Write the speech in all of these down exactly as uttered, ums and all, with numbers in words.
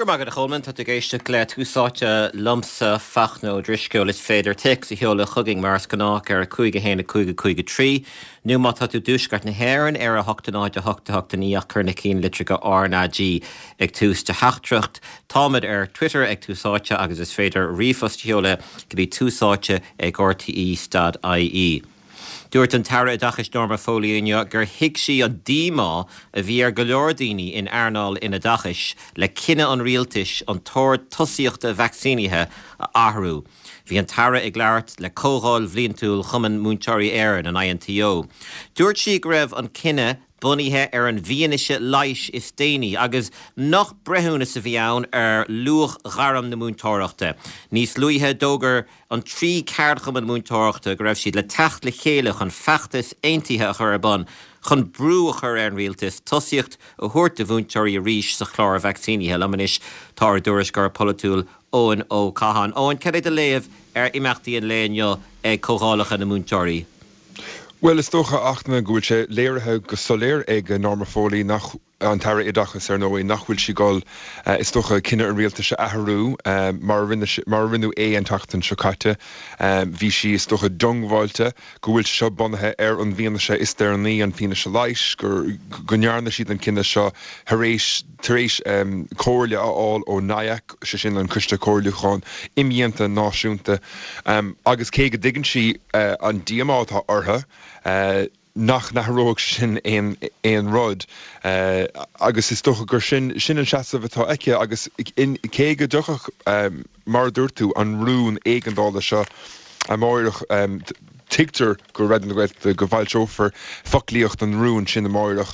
Go raibh maith agat a Cholmáin, tá tú ag éisteacht le Tús Áite liomsa Fachtna Ó Drisceoil is féidir téacs a sheoladh chugainn mar is gnách ar a cúig a haon a cúig a cúig a trí nó má tá tú i dtuaisceart na hÉireann ar a hocht a náid a hocht a hocht a naoi ach cuir na ceannlitreacha RnaG ag tús do theachtaireacht. Táimid ar Twitter ag Tús Áite agus is féidir ríomhphost a sheoladh go dtí túsáite ag RTE dot IE. Dúirt an tAire Oideachais Norma Foley inniu gur thuig sí an díomá a bhí ar go leor daoine in earnáil an oideachais le cinneadh an rialtais an t-ord tosaíochta vacsaínithe a athrú. Bhí an tAire ag labhairt le Comhdháil Bhliantúil Chumann Múinteoirí Éireann, an INTO. Dúirt sí go raibh an cinneadh bunaithe ar an bhfianaise leighis is déanaí agus nach breithiúnas a bhí ann ar luach ghairm na múinteoireachta. Níos luaithe d'fhógair an trí cheardchumann múinteoireachta go raibh siad le teacht le chéile chun feachtas aontaithe a chur ar bun chun brú a chur ar an rialtas tosaíocht a thabhairt do mhúinteoirí arís sa chlár vacsaínithe. Liom anois tá ár dtuairisceoir polaitiúil Eoin Ó Catháin. Eoin, cad é do léamh ar imeachtaí an lae inniu ag comhdhálacha na múinteoirí? Bhuel, is dócha, a Fhachtna, go bhfuil sé léirithe go soiléir ag Norma Foley, nach, an tAire Oideachais, ar ndóigh, nach bhfuil sí ag dul, is dócha, cinneadh an rialtais a athrú mar a rinne, mar a rinneadh é an tseachtain seo caite. Bhí sí, is dócha, diongbháilte go bhfuil sé seo bunaithe ar an bhfianaise is deireanaí, an fianaise leighis, gur, go ndearna siad an cinneadh seo tar éis, tar éis comhairle a fháil ó NIAC, sé sin an Coiste Comhairliúcháin Imdhíonta Náisiúnta, agus cé go dtuigeann sí an díomá atá orthu, nach n-athródh sin aon rud agus is dócha gur sin sin an seasamh atá aici agus cé go dtiocfadh, mar a dúirt tú, an rún éigeandála seo amáireach, Tuigtear go Raidió na Gaeltachta go bhfoilseofar foclaíocht an rúin sin amáireach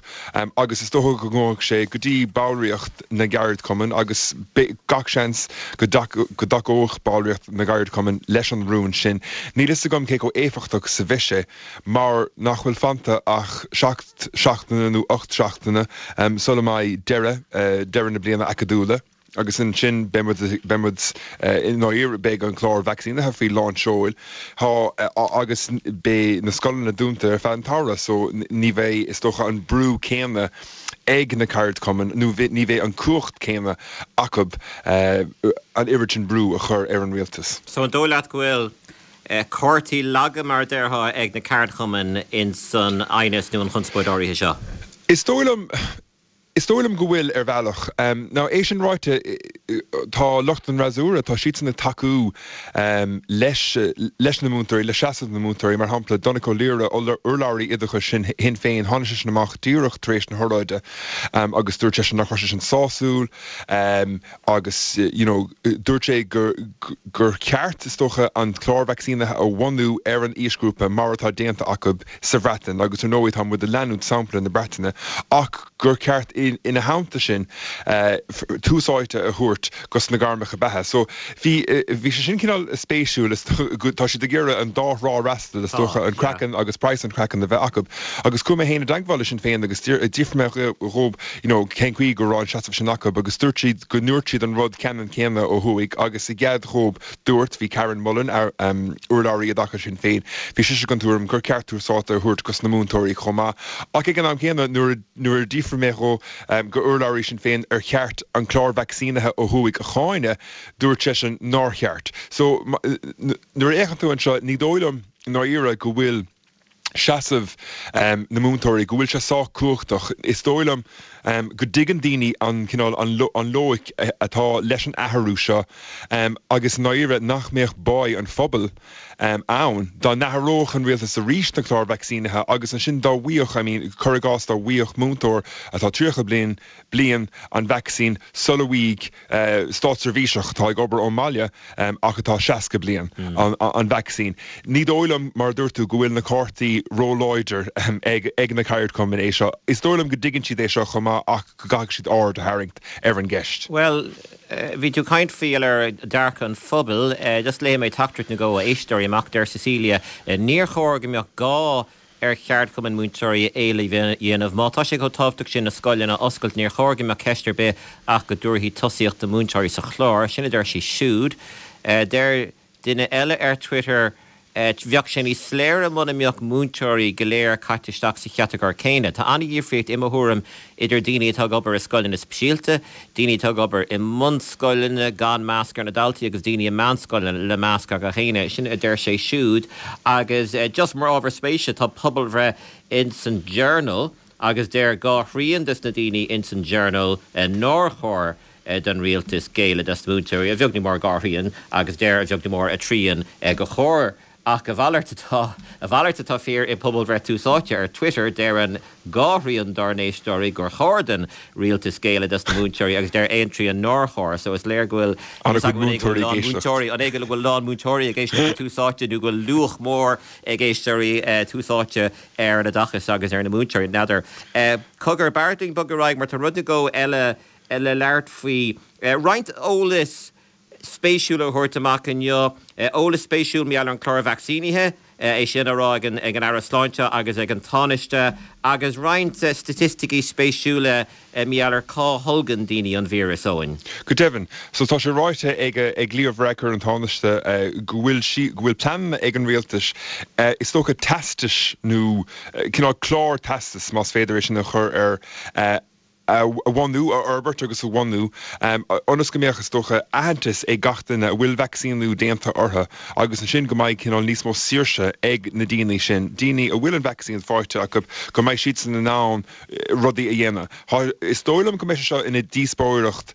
agus is dócha go ngabhfaidh sé go dtí ballraíocht na gceardchumann agus gach seans go dtacódh ballraíocht na gceardchumann leis an rún sin. Níl fhios agam cé chomh éifeachtach is a bheidh sé mar nach bhfuil fanta ach seacht seachtaine nó ocht seachtaine sula mbeidh deireadh deireadh na bliana acadúla. Agus ansin beidh muid, beidh muid i ndáiríre, beidh an clár vacsaínithe faoi lán seoil, tá, agus beidh na scoileanna dúnta ar feadh an tsamhraidh so ní bheidh, is dócha, an brú céanna ag na ceardchumainn nó ní bheidh an cumhacht céanna acu an oiread sin brú a chur ar an rialtas. So an dóigh leat go bhfuil cártaí laga, mar a déarfá, ag na ceardchumainn ins an aighneas nó an chonspóid áirithe seo? Is dóigh liom, Is dóigh liom go bhfuil, ar bhealach. Now, é sin ráite, tá lucht an fhreasúra, tá siadsan ag tacú leis, leis na múinteoirí, le seasamh na múinteoirí. Mar shampla, Donncha Ó Laoghaire, urlabhraí oideachais Shinn Féin, tháinig seisean amach díreach tar éis na hóráide agus dúirt seisean nach raibh sé sin sásúil agus, you know, dúirt sé gur, gur cheart, is dócha, an clár vacsaínithe a bhunú ar an aoisghrúpa mar atá déanta acu sa Bhreatain agus ar ndóigh tá muid ag leanúint sampla na Breataine ach gur ceart ina theannta sin tús áite a thabhairt dos na gairmeacha beatha. So bhí bhí sé sin cineál spéisiúil is tá siad ag iarraidh an dá thrá a fhreastal is dócha an craiceann agus praghas an chraicinn a bheith acu. Agus chuaigh mé féin i dteagmháil le Sinn Féin agus d'fhiafraigh mé dhóibh you know cén chaoi go raibh an seasamh sin acu agus dúirt siad go ndúirt siad an rud ceannann céanna ó thuaidh agus i gcead dhóibh Dúirt, bhí Karen Mullen, urlabhraí oideachais Shinn Féin, bhí sise den tuairim gur ceart tús áite a thabhairt dos na múinteoirí chomh maith. Ach ag an am céanna, nuair a d'fhiafraigh mé dhó, go urlabhraí Shinn Féin, ar cheart an clár vacsaínithe ó thuaidh a cháineadh, dúirt seisean nár cheart. So, nuair a fhéachann tú anseo, ní dóigh liom i ndáiríre go bhfuil seasamh na múinteoirí, go bhfuil sé sách cumhachtach. Is dóigh liom go dtuigeann daoine an cineál, an loighic atá leis an athrú seo agus i ndáiríre nach mbeadh báidh an phobail ann dá n-athródh an rialtas arís na cláir vacsaínithe agus ansin dá bhfaigheadh, I mean, cuir i gcás dá bhfaigheadh múinteoir atá tríocha bliain, bliain an vacsaín sula bhfaighidh státseirbhíseach atá ag obair ón mbaile ach atá seasca bliain an vacsaín. Ní dóigh liom, mar a dúirt tú, go bhfuil na cártaí róláidir ag na ceardchumainn é seo. Is dóigh liom go dtuigeann siad é seo chomh maith ach go gcaithfidh siad aird a tharraingt ar an gceist. Bhuel, bhí tú ag caint faoi ar dearcadh an phobail. Just léifidh mé teachtaireacht nó dhó ó éisteoirí amach. Deir Cecilia, Níor chóir go mbeadh gá ar cheardchumainn múinteoirí éileamh a dhéanamh. Má tá sé chomh tábhachtach sin na scoileanna a oscailt, níor chóir go mbeadh ceist ar bith ach go dtabharfaí tosaíocht do mhúinteoirí sa chlár. Sin a deir sí siúd. Deir duine eile ar Twitter, Bheadh sé níos soiléire muna mbeadh múinteoirí go léir caite isteach sa chatagóir céanna. Tá an-dhifríocht i mo thuairim idir daoine atá ag obair i scoileanna speisialta, daoine atá ag obair i mbunscoileanna gan masc ar na daltaí agus daoine i meánscoileanna le masc ar gach éinne. Sin a deir sé siúd agus just mar ábhar spéise tá pobalbhreith ins an Journal agus deir dhá thrian des na daoine ins an Journal nár chóir don rialtas géilleadh dos na múinteoirí, a bheag nó mór dhá thrian agus deir a bheag nó mór a trian gur chóir. Ach a mhalairt atá a mhalairt atá fíor i bpobalbhreith Tús Áite ar Twitter, deireann dhá thrian dár n-éisteoirí gur chóir don rialtas géilleadh dos na múinteoirí agus deir aon trian nár chóir. So is léir go bhfuil múinteoirí an é go bhfuil lán múinteoirí ag éisteacht le Tús Áite nó go bhfuil luach mór ag éisteoirí Tús Áite ar an oideachas agus ar na múinteoirí. N'fheadar. Cogar, b'fhearr dúinn bogadh ar aghaidh mar tá rud nó dhó eile le labhairt faoi. Roinnt eolas spéisiúil a thabhairt amach inniu. Eolas spéisiúil mar gheall ar an chlár vacsaínithe, é sin á rá ag an ag an Aire Sláinte agus ag an Tánaiste, agus roinnt staitisticí spéisiúla mar gheall ar cá tholgann daoine an víreas, Eoin. Go deimhin. So tá sé ráite ag ag Leo Varadkar an Tánaiste go bhfuil sí go bhfuil plean ag an rialtas is dócha teastais nó cineál clár teastas más féidir é sin a chur ar a bhunú, a fhorbairt agus a bhunú, ionas go mbeadh, is dócha, aitheantas ag gach duine a bhfuil vacsaíniú déanta orthu agus ansin go mbeidh cineál níos mó saoirse ag na daoine sin, daoine a bhfuil an vacsaín faighte acu, go mbeidh siadsan in ann rudaí a dhéanamh. Is dóigh liom go mbeidh sé seo ina dhíospóireacht,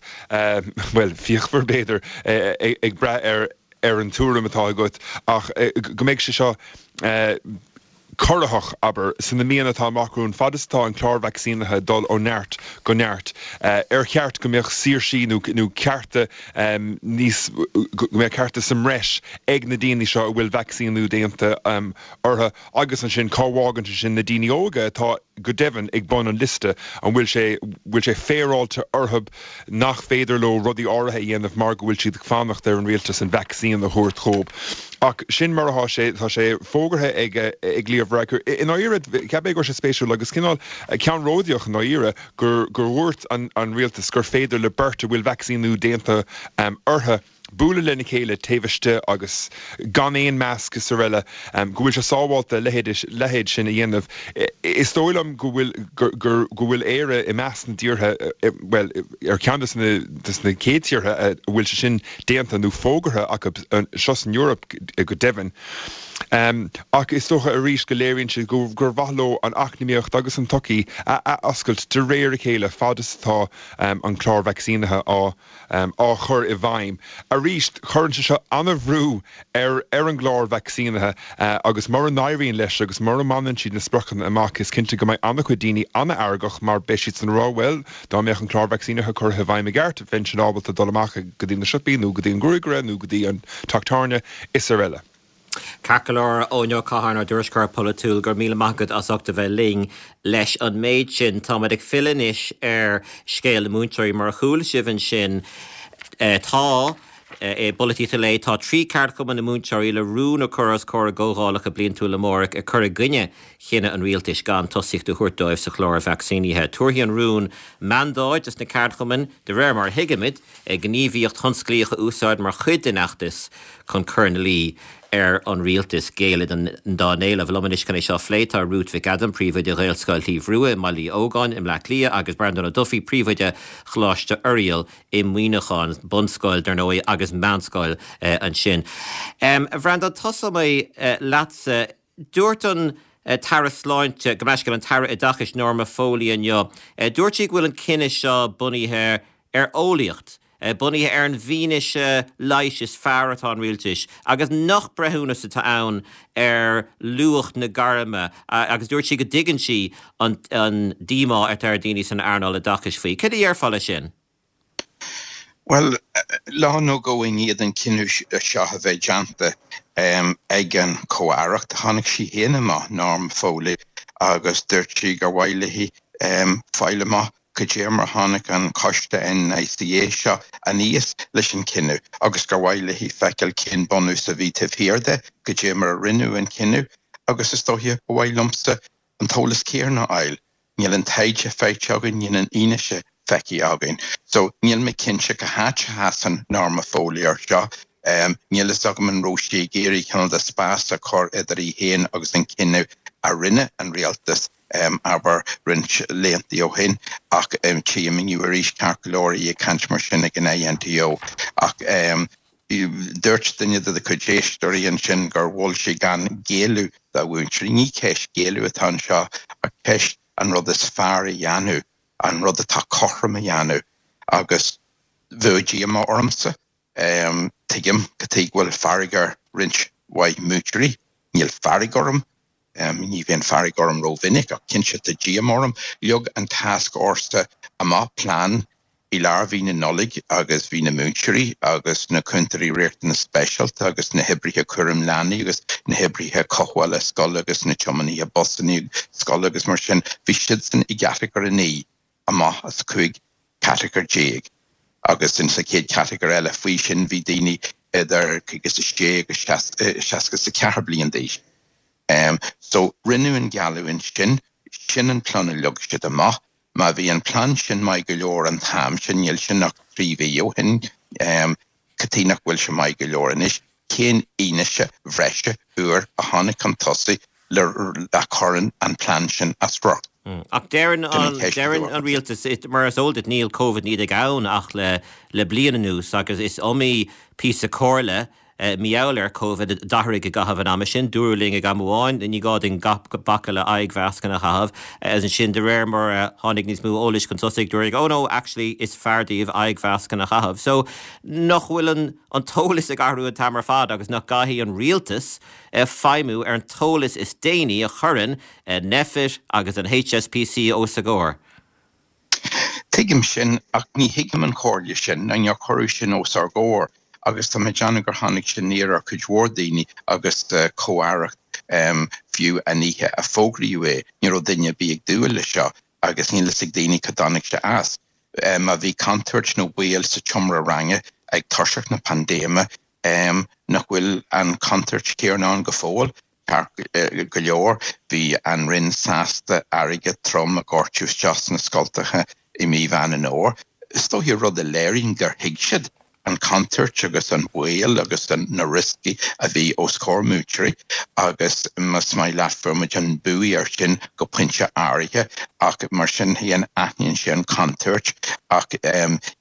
bhuel, fíochmhar b'fhéidir, ag brath ar ar an tuairim atá agat ach go mbeidh sé seo corraitheach, abair, sna míonna atá amach romhainn, fad is atá an clár vacsaínithe ag dul ó neart go neart, ar cheart go mbeadh saoirsí nó nó cearta níos, go mbeadh cearta sa mbreis ag na daoine seo a bhfuil vacsaíniú déanta orthu agus ansin cá bhfágann sé sin na daoine óga atá go deimhin ag bun an liosta, an bhfuil sé, bhfuil sé féaráilte orthu nach féidir leo rudaí áirithe a dhéanamh mar go bhfuil siad ag fanacht ar an rialtas an vacsaín a thabhairt dhóibh. Ach sin mar atá sé, tá sé fógartha ag ag Leo Varadkar. I ndáiríre, cheap mé go raibh sé spéisiúil agus cineál ceannródaíoch i ndáiríre gur gur dhúirt an an rialtas gur féidir le beirt a bhfuil vacsaíniú déanta orthu bualadh lena chéile taobh istigh agus gan aon masc is araile, go bhfuil sé sábháilte a leithéid sin a dhéanamh. Is dóigh liom go bhfuil go bhfuil Éire i measc na dtíortha, bhuel, ar cheann de na chéad tíortha a bhfuil sé sin déanta nó fógartha acu seo san Eoraip go deimhin. Ach is dócha arís go léiríonn sé gur mhaith leo an eacnamaíocht agus an tsochaí a athoscailt de réir a chéile fad is atá an clár vacsaínithe á á chur i bhfeidhm. Arís, cuireann sé seo an-bhrú ar ar an gclár vacsaínithe agus mura n-éiríonn leis agus mura mbaineann siad na spriocanna amach, is cinnte go mbeidh an-chuid daoine an-fheargach mar beidh siadsan ag rá, bhuel, dá mbeadh an clár vacsaínithe curtha i bhfeidhm i gceart, bheinnse ábalta dul amach go dtí na siopaí nó go dtí an gruagaire nó go dtí an teach tábhairne is araile. Ceart go leor, Eoin Ó Catháin, ár dtuairisceoir polaitiúil, go raibh míle maith agat as ucht a bheith linn leis an méid sin. Táimid ag filleadh anois ar scéal na múinteoirí. Mar a chuala sibh ansin, tá i bPolaitíocht an Lae, tá trí cheardchumann na múinteoirí le rún a chur os comhair a gcomhdhálacha bliantúla amárach ag cur i gcoinne chinneadh an rialtais gan tosaíocht a thabhairt dóibh sa chlár vacsaínithe. Tabharfaidh an rún mandáid dos na ceardchumainn, de réir mar a thuigimid, gníomhaíocht thionsclaíoch a úsáid mar chuid den fheachtas chun cur ina luí ar an rialtas géilleadh dá n-éilimh. Liom anois chun é seo a phlé tá Ruth Mhic Adaim, Príomhoide Ghaelscoil Shliabh Rua i mBaile Uí Ógáin i mBleá Cliath agus Breandán Ó Dufaigh, Príomhoide Choláiste Oiriall i Muineachán, bunscoil dar ndóigh agus meánscoil ansin. A Bhreandáin, tosóidh mé leatsa. Dúirt an tAire Sláinte, gabh mo leithscéal, an tAire Oideachais Norma Foley inniu, dúirt sí go bhfuil an cinneadh seo bunaithe ar eolaíocht, bunaithe ar an bhfianaise leighis is fearr atá an rialtais agus nach breithiúnas atá ann ar luach na gairme agus dúirt sí go dtuigeann sí an díomá atá ar daoine san earnáil oideachais faoi. Cad a déarfá leis sin? Bhuel, lá nó dhó i ndiaidh an cinneadh seo a bheith déanta ag an Chomh-Aireacht, tháinig sí féin amach, Norma Foley, agus dúirt sí gur mhaith léi fáil amach cad é mar a tháinig an coiste NICA seo aníos leis an chinneadh agus gur mhaith léi feiceáil cén bunús a bhí taobh thiar de, cad é mar a rinneadh an cinneadh agus is dóiche ba mhaith liomsa an t-eolas céanna a fháil. Níl an taighde faighte againn, níl an fhianaise feicthe againn. So, níl mé cinnte cá háit a sheasann Norma Foley ar seo. Níl fhios agam an raibh sí ag iarraidh cineál de spás a chur idir í féin agus an cinneadh a rinne an rialtas, abair, roinnt laethanta ó shin, ach tchím inniu arís ceart go leor í ag caint mar sin ag an INTO. Ach dúirt duine de do chuid éisteoirí ansin gur mhol sí gan géilleadh do mhúinteoirí. Ní ceist géilleadh atá anseo ach ceist an rud is fearr a dhéanamh, an rud atá cothrom a dhéanamh agus bheadh díomá ormsa. Tuigim cad chuige go bhfuil fearg ar roinnt mhaith múinteoirí. Níl fearg orm. Ní bhíonn fearg orm rómhinic ach cinnte tá díomá orm. Leag an tascfhórsa amach plean i lár mhí na Nollag agus bhí na múinteoirí agus na cúntóirí riachtanas speisialta agus na hoibrithe cúram leanaí agus na hoibrithe cothabhála scoile agus na tiománaithe busanna scoile agus mar sin, bhí siadsan i gcatagóir a naoi amach as cúig chatagóir déag agus in sa chéad chatagóir eile faoi sin bhí daoine idir caoga is a sé agus seasca is a ceathair bliain d'aois. So rinneadh an geallúint sin, sin an plean a leag siad amach. Má bhí an plean sin maith go leor an t-am sin, níl sin ach trí mhí ó shin, cad chuige nach bhfuil sé maith go leor anois? Cén fhianaise bhreise úr a tháinig chun tosaigh le a chuireann an plean sin as riocht? Ach deireann an deireann an rialtas, mar is eol duit níl Covid naoi déag ann ach le le bliain anuas agus is iomaí píosa comhairle mar gheall ar Covid a d'athraigh i gcaitheamh an ama sin. Dúradh linn ag am amháin, ní gá dúinn bacadh le aghaidhmhascanna a chaitheamh. Agus ansin de réir mar a tháinig níos mó eolais chun tosaigh, dúradh, oh no, actually is fearr daoibh aghaidhmhascanna a chaitheamh. So nach bhfuil an an t-eolas ag athrú an t-am ar fad agus nach gcaithfidh an rialtas feidhmiú ar an t-eolas is déanaí a chuireann Nphet agus an HSPC os a gcomhair? Tuigim sin ach ní thuigim an chomhairle sin, nó níor cuireadh sin os ár gcomhair. agus tá mé ag déanamh gur tháinig sé aniar ar chuid mhór daoine agus comh-aireacht fiú an oíche a fógraíodh é, ní raibh duine ar bith ag dúil leis seo agus níl fhios ag daoine cá dtáinig sé as. Má bhí contúirt nó baol sa tseomra ranga ag toiseacht na paindéime, nach bhfuil an chontúirt chéanna ann go fóill? Ceart go leor, bhí an Roinn sásta airgead trom a dhoirteadh isteach sna scoltacha i mí Mheán an Fhómhair. Is dóiche rud a léiríonn gur thuig siad an chontúirt agus an baol agus na rioscaí a bhí os comhair múinteoirí agus más maith leat fuair muid an bua air sin go pointe áirithe ach mar sin féin aithníonn sé an chontúirt ach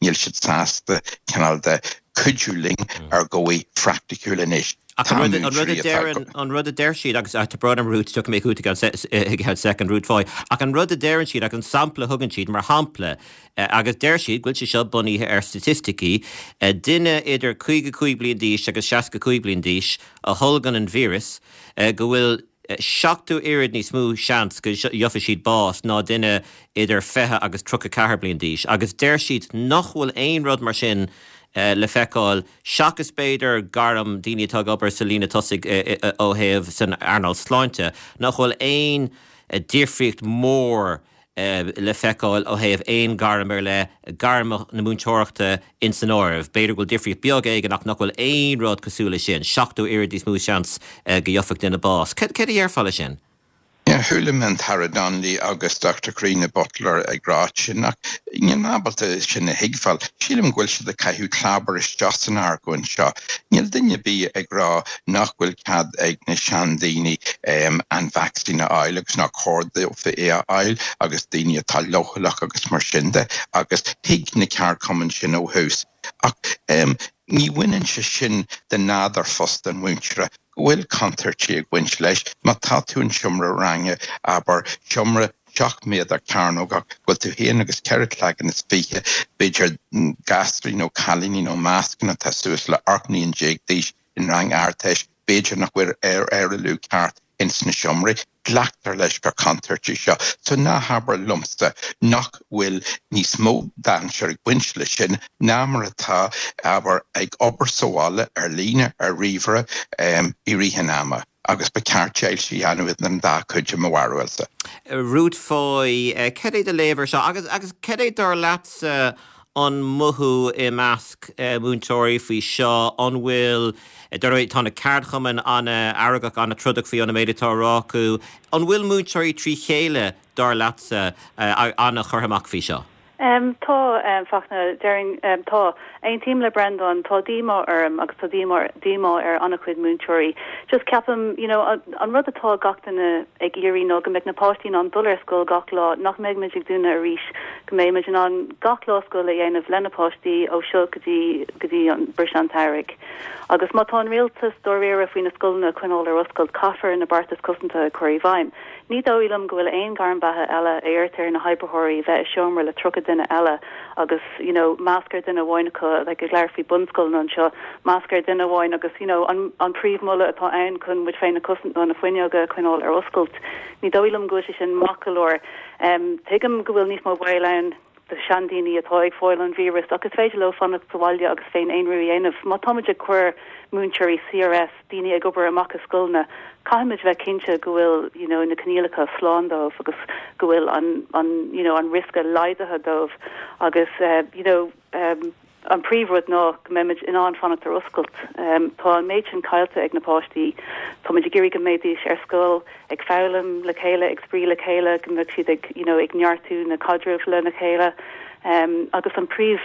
níl siad sásta cineál de cuidiú linn ar dhóigh phraiticiúil anois. Ach an rud an rud a deireann an rud a deir siad agus tá brón orm Ruth tiocfaidh mé chugat i gceann soicind Ruth Foy ach an rud a deireann siad agus an sampla a thugann siad mar shampla agus deir siad go bhfuil sé seo bunaithe ar staitisticí duine idir caoga cúig bliain d'aois agus seasca cúig bliain d'aois a tholgann an víreas go bhfuil seachtó oiread níos mó seans go gheobhaidh siad bás ná duine idir fiche agus tríocha ceathair bliain d'aois agus deir siad nach bhfuil aon rud mar sin le feiceáil, seachas b'fhéidir gairm daoine atá ag obair sa líne tosaigh ó thaobh san earnáil sláinte, nach bhfuil aon difríocht mhór le feiceáil ó thaobh aon ghairm ar leith, gairm na múinteoireachta ins an áireamh. B'fhéidir go bhfuil difríocht beag éigin ach nach bhfuil aon rud cosúil leis sin, seachtó oiread níos mó seans go gheobhaidh duine bás. Cad a déarfá leis sin? Chuala mé an tAire Donnelly agus Doctor Carina Butler ag rá sin ach níl mé ábalta sin a thuigbheáil. Sílim go bhfuil siad ag caitheamh clábar isteach san argóint seo. Níl duine ar bith ag rá nach bhfuil cead ag na seandaoine an vacsaín a fháil agus nach cóir dófa é a fháil agus daoine atá leochaileach agus mar sin de agus thuig na ceardchumainn sin ó thús. Ach ní bhaineann sé sin de nádúr phost an mhúinteora go bhfuil contúirtí ag baint leis. Má tá tú in seomra ranga, abair, seomra seacht méadar cearnógach, go bhfuil tú féin agus ceithre cloigeann is fiche, b'fhéidir, gasraí nó cailíní nó meascán atá suas le ocht mbliain déag d'aois in rang Ardteist, b'fhéidir nach bhfuil aerálú ceart ins na seomraí. Glactar leis gur contúirt í seo. So ná habair liomsa nach bhfuil níos mó dainséar ag baint leis sin ná mar atá, abair, ag obair sa bhaile, ar líne, ar ríomhaire, i rith an ama. Agus ba cheart deighilt a dhéanamh idir an dá chuid i mo bharúilsa. Ruth Foy, cad é do léamh ar seo? Agus agus cad é dar leatsa an mothú i measc múinteoirí faoi seo? An bhfuil, dar ndóigh, tá na ceardchumainn an-fheargach, an-trodach faoi an méid atá á rá acu. An bhfuil múinteoirí trí chéile, dar leatsa, an-churtha amach faoi seo? Um, tá um, Fachtna déarfainn um, tá aontaím le Breandán tá díomá orm agus tá díomá díomá ar an-chuid múinteoirí. Just ceapaim you know, an, an rud atá gach duine ag iarraidh ná go mbeidh na páistí in ann dul ar scoil gach lá nach mbeidh muid ag dúnadh arís go mbeidh muid in ann gach lá scoil a dhéanamh le na páistí ó seo go dtí go dtí an briseadh an tsamhraidh. Agus má tá an rialtas dáiríre faoi na scoileanna a choinneáil ar oscailt caithfear na beartais cosanta a chur i bhfeidhm. Ní dóigh liom go bhfuil aon ghairm beatha eile a iarrtar na hoibritheoirí bheith i seomra le tríocha duine eile agus you know masc ar duine amháin acu like ag labhairt faoi bunscoil anseo masc ar duine amháin agus you know an an príomh-mholadh atá ann chun muid féin a chosaint ná na fuinneoga a choinneáil ar oscailt. Ní dóigh liom go bhfuil sé sin maith go leor. Um, tuigim go bhfuil níos mó baol ann do seandaoine atá ag fáil an víreas agus féidir leo fanacht sa bhaile agus féin-aonrú a dhéanamh. Má táimid ag cur múinteoirí CRS daoine ag obair amach i scoileanna, caithfimid bheith cinnte go bhfuil you know, na coinníollacha slán dóibh agus go bhfuil an, an, you know, an riosca laghdaithe dóibh agus uh, you know, um, an príomhrud ná go mbeimid in ann fanacht ar oscailt. Um, tá an méid sin caillte ag na páistí, Tá muid ag iarraidh go mbeidís ar scoil ag foghlaim le chéile ag spraoi le chéile go mbeadh siad ag you know, ag neartú na caidrimh lena chéile um, agus an príomh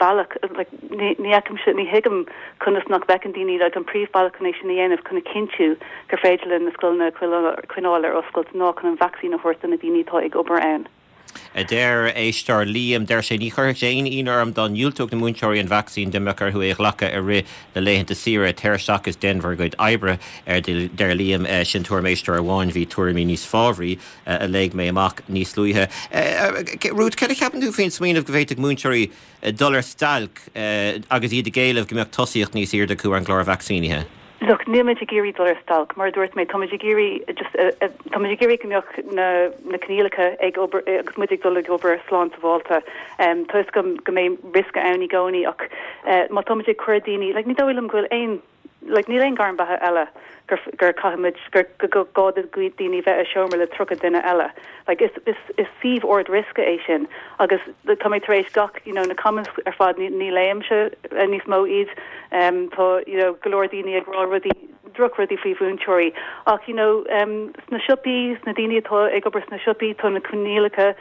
bealach like, ní ní ní thuigim conas nach bhfeiceann daoine like, an príomhbhealach chun é sin a dhéanamh chun a chinntiú gur féidir le na scoileanna coinneáil ar oscailt ná chun an vacsaín a thabhairt do na daoine atá ag obair ann. A deir éisteoir Liam deir sé ní chuirfeadh sé aon ionadh orm dá ndiúltódh na múinteoirí an vacsaín dá mbeadh orthu é a ghlacadh i rith na laethanta saoire tar isteach is déan bhur gcuid oibre ar deir Liam sin tuairim éisteora amháin bhí tuairimí níos fábhraí a léigh mé amach níos luaithe. Ruth céard a cheapann tú faoin smaoineamh go bhféadfadh múinteoirí dul ar stailc agus iad ag éileamh go mbeadh tosaíocht níos airde acu ar an gclár vacsaínithe. Look, níl ag iarraidh dul ar stailc, mar dúirt mé tá ag iarraidh just tá ag iarraidh go mbeadh na na coinníollacha ag obair agus muid ag dul ag obair slán sábháilte. Um, Tá go go mbeidh riosca ann i gcónaí ach uh, má tá ag cur daoine, like, ní dóigh liom go bhfuil aon like, níl aon ghairm beatha eile gur gur caithfimid gur go gá do daoine bheith i seomra le tríocha duine eile. Like, is, is, is suíomh ard-riosca é sin agus tá mé tar éis gach you know, na comments ar fad ní, ní léimse uh, níos mó iad um, tá you know, go leor daoine ag rá rudaí drochrudaí faoi mhúinteoirí ach you know, um, sna siopaí sna daoine atá ag obair sna siopaí tá na coinníollacha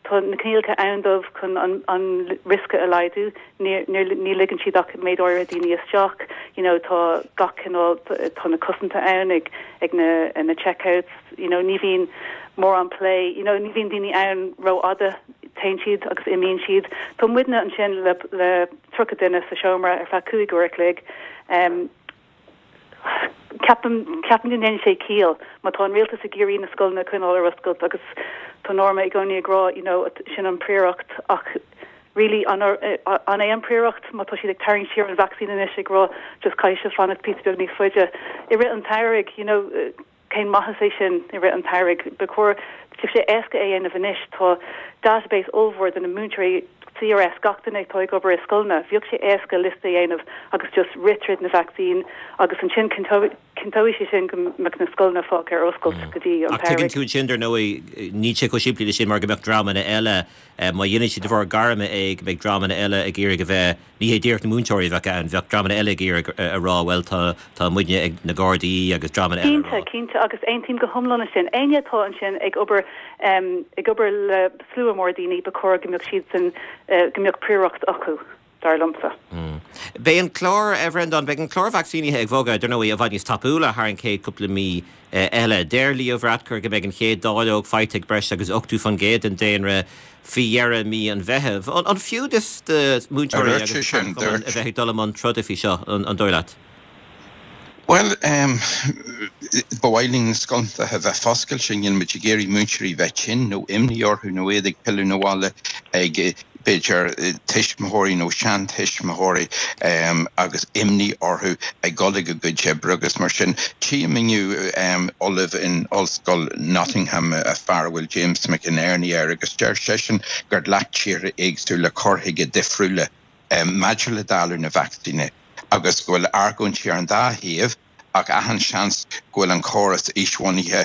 tá na coinníollacha ann dóibh chun an, an riosca a laghdú ní, ní, ní ligeann siad ach méid áirithe daoine isteach you know, tá gach cineál tá na cosanta ann ag ag na, na checkouts you know, ní bhíonn mórán plé you know, ní bhíonn daoine ann rófhada téann siad agus imíonn siad Tá muidne ansin le le tríocha duine sa seomra ar feadh cúig uair a chloig. Um, ceapaim ceapaim go ndéanann sé ciall má tá an rialtas ag iarraidh na scoileanna a choinneáil ar oscailt agus tá Norma i gcónaí ag rá you know, sin an phríoracht ach really an an é an phríoracht má tá siad ag tarraingt siar an vacsaín anois ag rá just caithfidh sibh fanacht píosa beag níos faide. I rith an tsamhraidh you know, cén maitheas é sin i rith an tsamhraidh B'fhéidir sé éasca é dhéanamh anois tá database ollmhór de na múinteoirí CRS gach duine atá ag obair i scoileanna, bheadh sé éasca liosta a dhéanamh agus just rith tríd na vacsaín agus ansin cinnteoidh sé sin go mbeadh na scoileanna fágtha ar oscailt mm. go dtí an Tuigeann tú sin dar ndóigh níl sé chomh simplí sin mar go mbeadh dreamanna eile má dhéanann siad de bharr gairme é go mbeidh dreamanna eile ag iarraidh a bheith ní hé díreach na múinteoirí bheith ann bheadh dreamanna eile ag iarraidh a rá well tá tá muidne ag na Gardaí agus dreamanna eile. Cinnte cinnte agus aontaím go hiomlán sin éinne atá ansin ag obair um, ag obair le slua mór daoine ba chóir go mbeadh siad sin uh, go mbeadh príoracht acu dar liomsa. Mm. Beidh an clár a Bhreandáin beidh an clár vacsaínithe ag bogadh dar ndóigh i bhfad níos tapúla thar an chéad cúpla mí eile. Deir Leo Varadkar go mbeidh an chéad dáileog faighte ag breis agus ochtó faoin gcéad den daonra faoi dheireadh mí an Mheithimh. An fiú do múinteoirí a bheith ag dul i mbun troda faoi seo an dóigh leat? Well um, ba mhaith linn na scoileanna a bheith foscailte níl muid ag iarraidh múinteoirí bheith tinn nó imní orthu nó iad ag pilleadh na bhaile ag b'fhéidir tuismitheoirí nó seantuismitheoirí um, agus imní orthu ag dul ag a gcuid oibre agus mar sin tchím inniu um, ollamh in Ollscoil Nottingham a fear bhfuil James McInerney air agus deir seisean gur ghlac tíortha éagsúla cur chuige difriúla um, maidir le dáileadh na vacsaíne agus go bhfuil argóintí ar an dá thaobh ach achan seans go bhfuil an córas aoisbhunaithe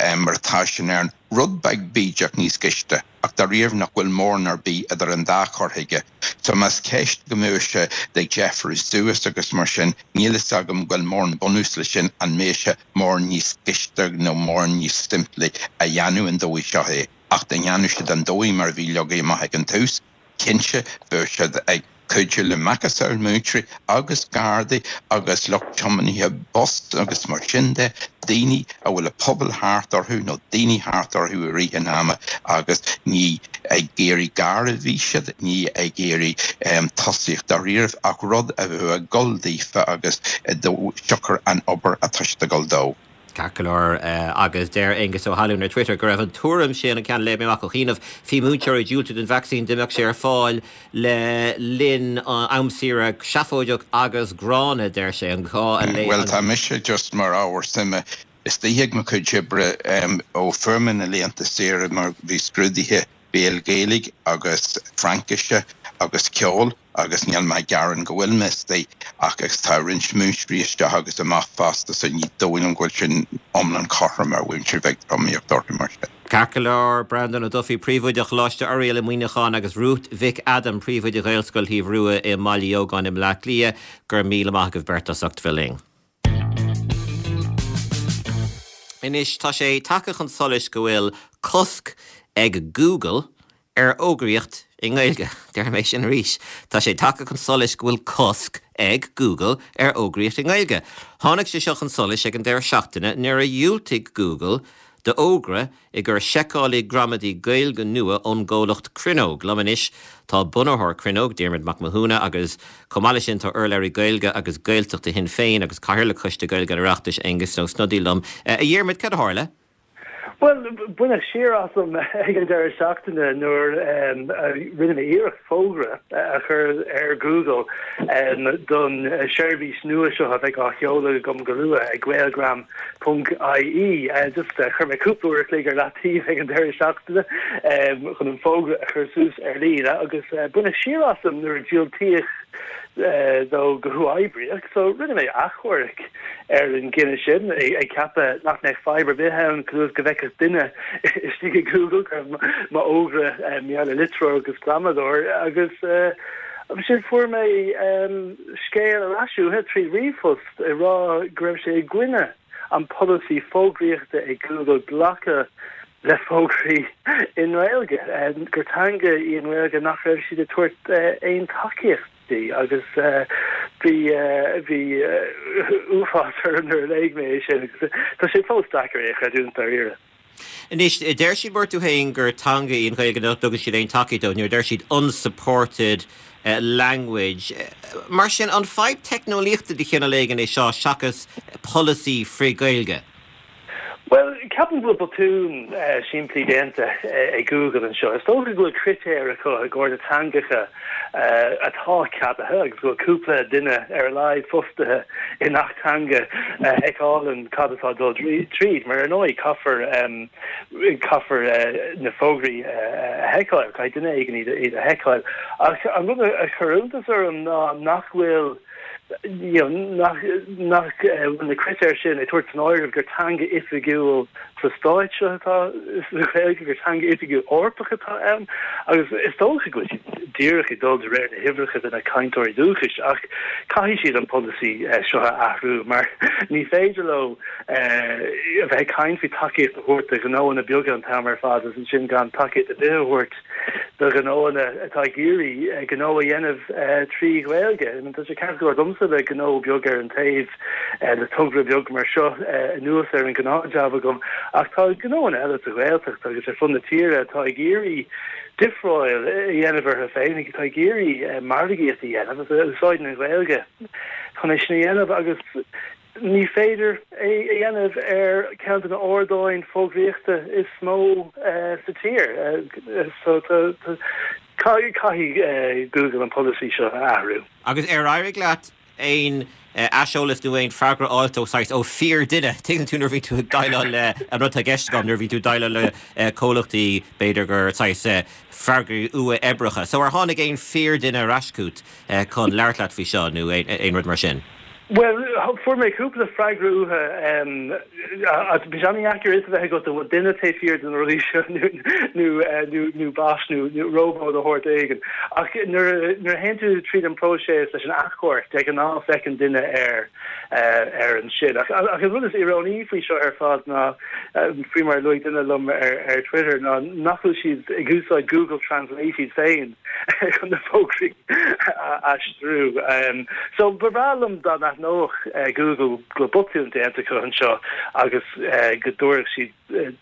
um, mar atá sin ar an rud beag bídeach níos gaiste ach dáiríre nach bhfuil mórán ar bith idir an dá chur chuige. So más ceist go mbeadh sé ag Jeffries suas agus mar sin níl a fhios agam go bhfuil mórán bunús le sin an mbeadh sé mórán níos gaiste nó mórán níos simplí a dhéanamh an dóigh seo é ach dá ndéanadh siad an dóigh mar bhí leagtha amach ag an tús Cinnte, bheadh siad ag cuidiú le macasamhail múinteoirí agus gardaí agus lucht tiománaithe bus agus mar sin de, daoine a bhfuil a pobal thart orthu nó daoine thart orthu i rith an ama agus ní ag iarraidh gar a bhí siad, ní ag iarraidh tosaíocht dáiríre ach rud a bheadh ag dul daofa agus de siocair an obair atá siad ag dul dó. Ceart go leor, agus deir Aengus Ó hAlúin ar Twitter go raibh an tuairim sin, an ceann a léigh mé amach ó chianaibh, faoi mhúinteoirí diúltú don vacsaín dá mbeadh sé ar fáil le linn am saoire seafóideach agus gránna, deir sé, an gá a léamh. Bhuel, tá mise just mar ábhar suime istigh ag mo chuid oibre ó fuair mé na laethanta saoire mar bhí scrúduithe béil Gaeilge agus Fraincise agus ceol agus níl mé ag gearán go bhfuil mé istigh ach agus tá roinnt múinteoirí isteach agus amach fosta so ní dóigh liom go bhfuil sin iomlán cothrom ar mhúinteoirí bheith tromaíocht orthu mar sin. Ceart go leor, Breandán Ó Dufaigh, Príomhoide Choláiste Oiriall i Muineachán agus Ruth Mhic Adaim, Príomhoide Ghaelscoil Thaobh Rua i mBaile Dheogáin i mBleá Cliath, go raibh míle maith agaibh beirt as ucht bheith linn. Anois, tá sé tagtha chun solais go bhfuil cosc ag Google ar fhógraíocht i nGaeilge. Déarfaidh mé sin arís, tá sé tagtha chun solais go bhfuil cosc ag Google ar fhógraíocht i nGaeilge. Tháinig sé seo chun solais ag an deireadh seachtaine nuair a dhiúltaigh Google d'fhógra i gcomhair seiceálaí gramadaí Gaeilge nua ón gcomhlacht Cruinneog. Liom anois tá bunaitheoir Cruinneog, Diarmuid Mac Mathúna, agus chomh maith leis sin tá urlabhraí Gaeilge agus Gaeltachta Shinn Féin agus Cathaoirleach Choiste Gaeilge an Oireachtais, Aengus Ó Snodaigh liom. A Dhiarmuid, cad a tharla? Bhuel, baineadh siar asam ag an deireadh seachtaine nuair a rinne mé iarracht fógra a chur ar Google don seirbhís nua seo a bheidh á sheoladh agam go luath ag gaelgram ponc ie. Just chuir mé cúpla uair a chloig ar leataobh ag an deireadh seachtaine chun an fógra a chur suas ar líne agus baineadh siar asam nuair a diúltaíodh dó go huathoibríoch, so rinne mé achomharc ar an gcinneadh sin, ag ceapadh nach mbeadh fadhb ar bith ann go go bhfeicfeadh duine istigh i Google go raibh m'fhógra mar gheall ar litreoir agus gramadóir agus ansin fuair mé scéal ar ais uathu trí ríomhphost ag rá go raibh sé i gcoinne an polasaí fógraíochta ag Google glacadh le fógraí i nGaeilge, gur teanga í an Ghaeilge nach raibh siad ag tabhairt aon tacaíocht di agus bhí bhí uafás orm nuair a léigh mé é sin agus tá sé fós deacair é a chreidiúint dáiríre. Anois, deir siad mar tú féin gur teanga í an Ghaeilge nach dtugann siad aon tacaíocht dó, nuair a deir siad unsupported language. Mar sin, an fadhb teicneolaíochta de chineál éigin é seo seachas polasaí frith-Ghaeilge? Bhuel, ceapaim go bhfuil botún simplí déanta ag Google anseo. Is dócha go bhfuil critéir acu i gcomhair na teangacha atá ceadaithe agus go bhfuil cúpla duine ar a laghad fostaithe i ngach teanga a sheiceálann cad atá ag dul tríd. Mar ar ndóigh caithfear caithfear na fógraí a sheiceáil, caithfidh duine éigin iad a sheiceáil. Ach an rud a chuir iontas orm ná nach bhfuil you know, nach nach bhfuil na critéir sin ag tabhairt san áireamh gur teanga oifigiúil sa stáit seo atá sa Ghaeilge, gur teanga oifigiúil Eorpach atá ann, agus is dócha go bhfuil siad díreach ag dul de réir na huimhreacha de na cainteoirí dúchais, ach caithfidh siad an polasaí seo a athrú mar ní féidir leo a bheith ag caint faoi tacaíocht a thabhairt do ghnóanna beaga an t-am ar fad agus ansin gan tacaíocht ar bith a thabhairt do ghnóanna atá ag iarraidh gnó a dhéanamh trí Ghaeilge. Tá sé ceart go leor domsa le gnó beag ar an taobh, le togra beag mar seo anuas ar an ngnáthjab agam, ach tá gnóanna eile sa Ghaeltacht agus ar fud na tíre atá ag iarraidh difreáil a dhéanamh orthu féin, atá ag iarraidh margaíocht a dhéanamh agus a úsáideann an Ghaeilge chun é sin a dhéanamh agus ní féidir é a dhéanamh ar ceann de na ardáin fógraíochta is mó sa tír. So caithfidh Google an polasaí seo a athrú. Agus ar éirigh leat aon aiseolas nó aon freagra a fháilt ó saghas, ó fíordhuine? Tuigeann tú nuair a bhíonn tú ag déileáil le, an rud atá i gceist agam, nuair a bhíonn tú ag déileáil le comhlachtaí b'fhéidir gur saghas freagraí uathoibríocha. So ar tháinig aon fíordhuine ar ais chugat chun labhairt leat faoi seo nó aon rud mar sin? Well, fuair mé cúpla freagra uathu bhí sé an-deacair a bheith agat bhfuil duine taobh thiar de na rudaí seo nó nó bot nó róbó de shórt éigin. Ach nuair a théann tú tríd an próiseas leis an achomharc de ghnáth féachann duine ar ar ansin. Ach ach an rud is íorónaí faoi seo ar fad ná faoi mar luaigh duine liom ar ar Twitter ná nach bhfuil siad ag úsáid Google Translate iad féin chun na fógraí a aistriú. So ba bhreá liom dá n-aithneodh Google go bhfuil botún déanta acu anseo agus go dtabharfadh siad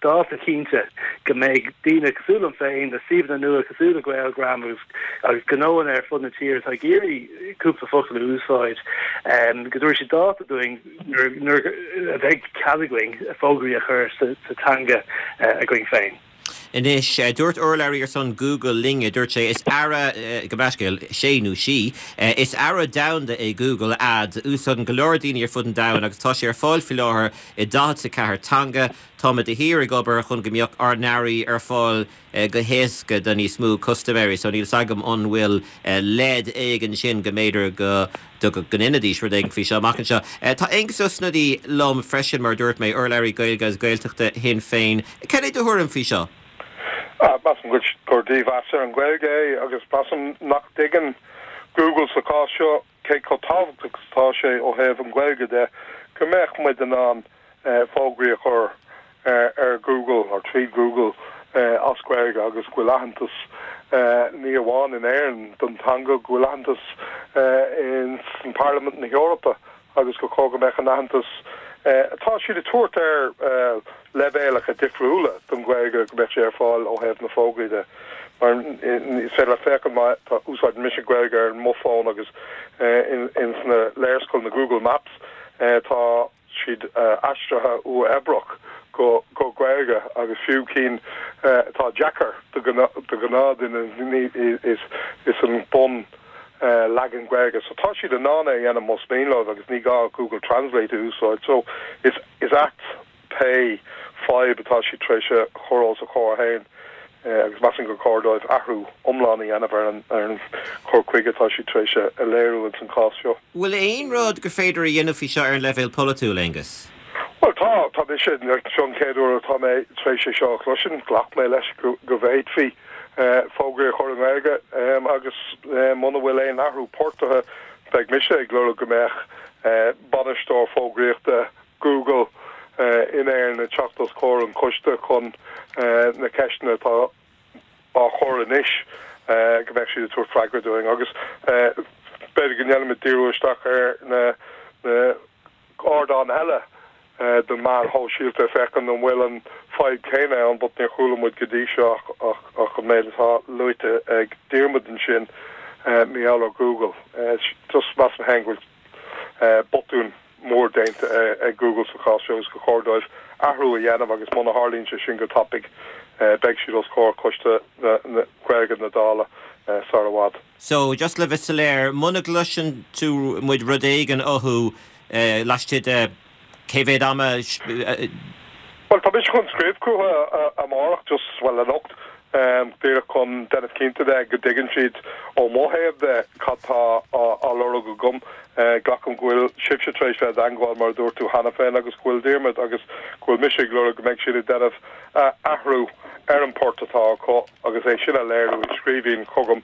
dáta cinnte go mbeidh daoine cosúil liom féin, na suíomhanna nua cosúil le Gaelgram agus agus gnóanna ar fud na tíre atá ag iarraidh cúpla focal a úsáid, go dtabharfaidh siad dáta dúinn nuair a bheidh cead againn fógraí a chur sa teanga againn féin. Anois, dúirt urlabhraí ar son Google linn, dúirt sé, is earra, gabh mo leithscéal, sé nó sí, is earra domhanda é Google Ads, úsáideann go leor daoine ar fud an domhain agus tá sé ar fáil faoi láthair i daichead a ceathair teanga. Táimid de shíor ag obair chun go mbeadh ár n-earraí ar fáil go héasca do níos mó custaiméirí. So níl 's agam an bhfuil leid éigin sin go mb'fhéidir go go ndéanfaidís rud éigin faoi seo amach anseo. Tá Aengus Ó Snodaigh liom freisin, mar a dúirt mé, urlabhraí Gaeilge agus Gaeltachta Shinn Féin. Cad é do thuairim faoi seo? Measaim gur dímheas ar an Ghaeilge é agus measaim nach dtuigeann Google sa chás seo cé chomh tábhachtach is atá sé ó thaobh an Ghaeilge de go mbeadh muid in ann fógraí a chur ar Google nó trí Google as Gaeilge agus go bhfuil aitheantas ní amháin in Éirinn don teanga, go bhfuil aitheantas in san Parlaimint na hEorpa agus gur chóir go mbeadh an aitheantas atá siad ag tabhairt ar leibhéalacha difriúla don Ghaeilge go mbeadh sé ar fáil ó thaobh na fógraí de. Mar is féidir leat féachaint má tá úsáideann mise Gaeilge ar mo fón agus in sna léarscáil na Google Maps tá siad aistrithe uathoibríoch go go Gaeilge agus fiú cinn atá deacair do ghnáthdhuine is is an bun leagan Gaeilge. So tá siad in ann é a dhéanamh más mian leo agus ní gá Google Translate a úsáid. So is is ait pé fadhb atá siad tar éis a chur os a chomhair féin agus measaim gur chóir dóibh athrú iomlán a dhéanamh ar an ar an chur chuige atá siad tar éis a léiriú ins an chás seo. Bhfuil aon rud gur féidir a dhéanamh faoi seo ar an leibhéal polaitiúil, Aengus? Bhuel tá, tá mise, seo an chéad uair atá mé tar éis é seo a chloisint, ghlac mé leis go go bhféadfaí fógraí a chur i nGaeilge agus muna bhfuil aon athrú portaithe beidh mise ag lorg go mbeadh bainisteoir fógraíochta Google in Éirinn ag teacht os comhair an choiste chun na ceisteanna atá á chur anois go mbeadh siad ag tabhairt freagra dúinn agus b'fhéidir go ndéanfaimid díriú isteach ar na na ardáin eile den meáin shóisialta féachaint an bhfuil an fadhb céanna ann but níor chuala muid go dtí seo ach ach ach an méid atá luaite ag Diarmuid ansin mar gheall ar Google. Just measaim féin go bhfuil botún mór déanta ag Google sa chás seo agus gur chóir dóibh athrú a dhéanamh agus muna tharlaíonn sé sin go tapaidh beidh siad os comhair coiste na Gaeilge na Dála sar i bhfad. So just le bheith soiléir, muna gcloiseann tú muid rud éigin uathu laistigh de cé mhéad ama? Bhuel tá mise chun scríobh chucu amárach just well anocht díreach chun déanamh cinnte de go dtuigeann siad ó mo thaobh de cad tá á lorg agam. Glacaim go bhfuil sibhse tar éis bheith i dteagmháil mar a dúirt tú cheana féin agus go bhfuil Diarmuid agus go bhfuil mise ag lorg go mbeidh siad ag déanamh athrú ar an port atá acu agus é sin a léiriú i scríbhinn chugam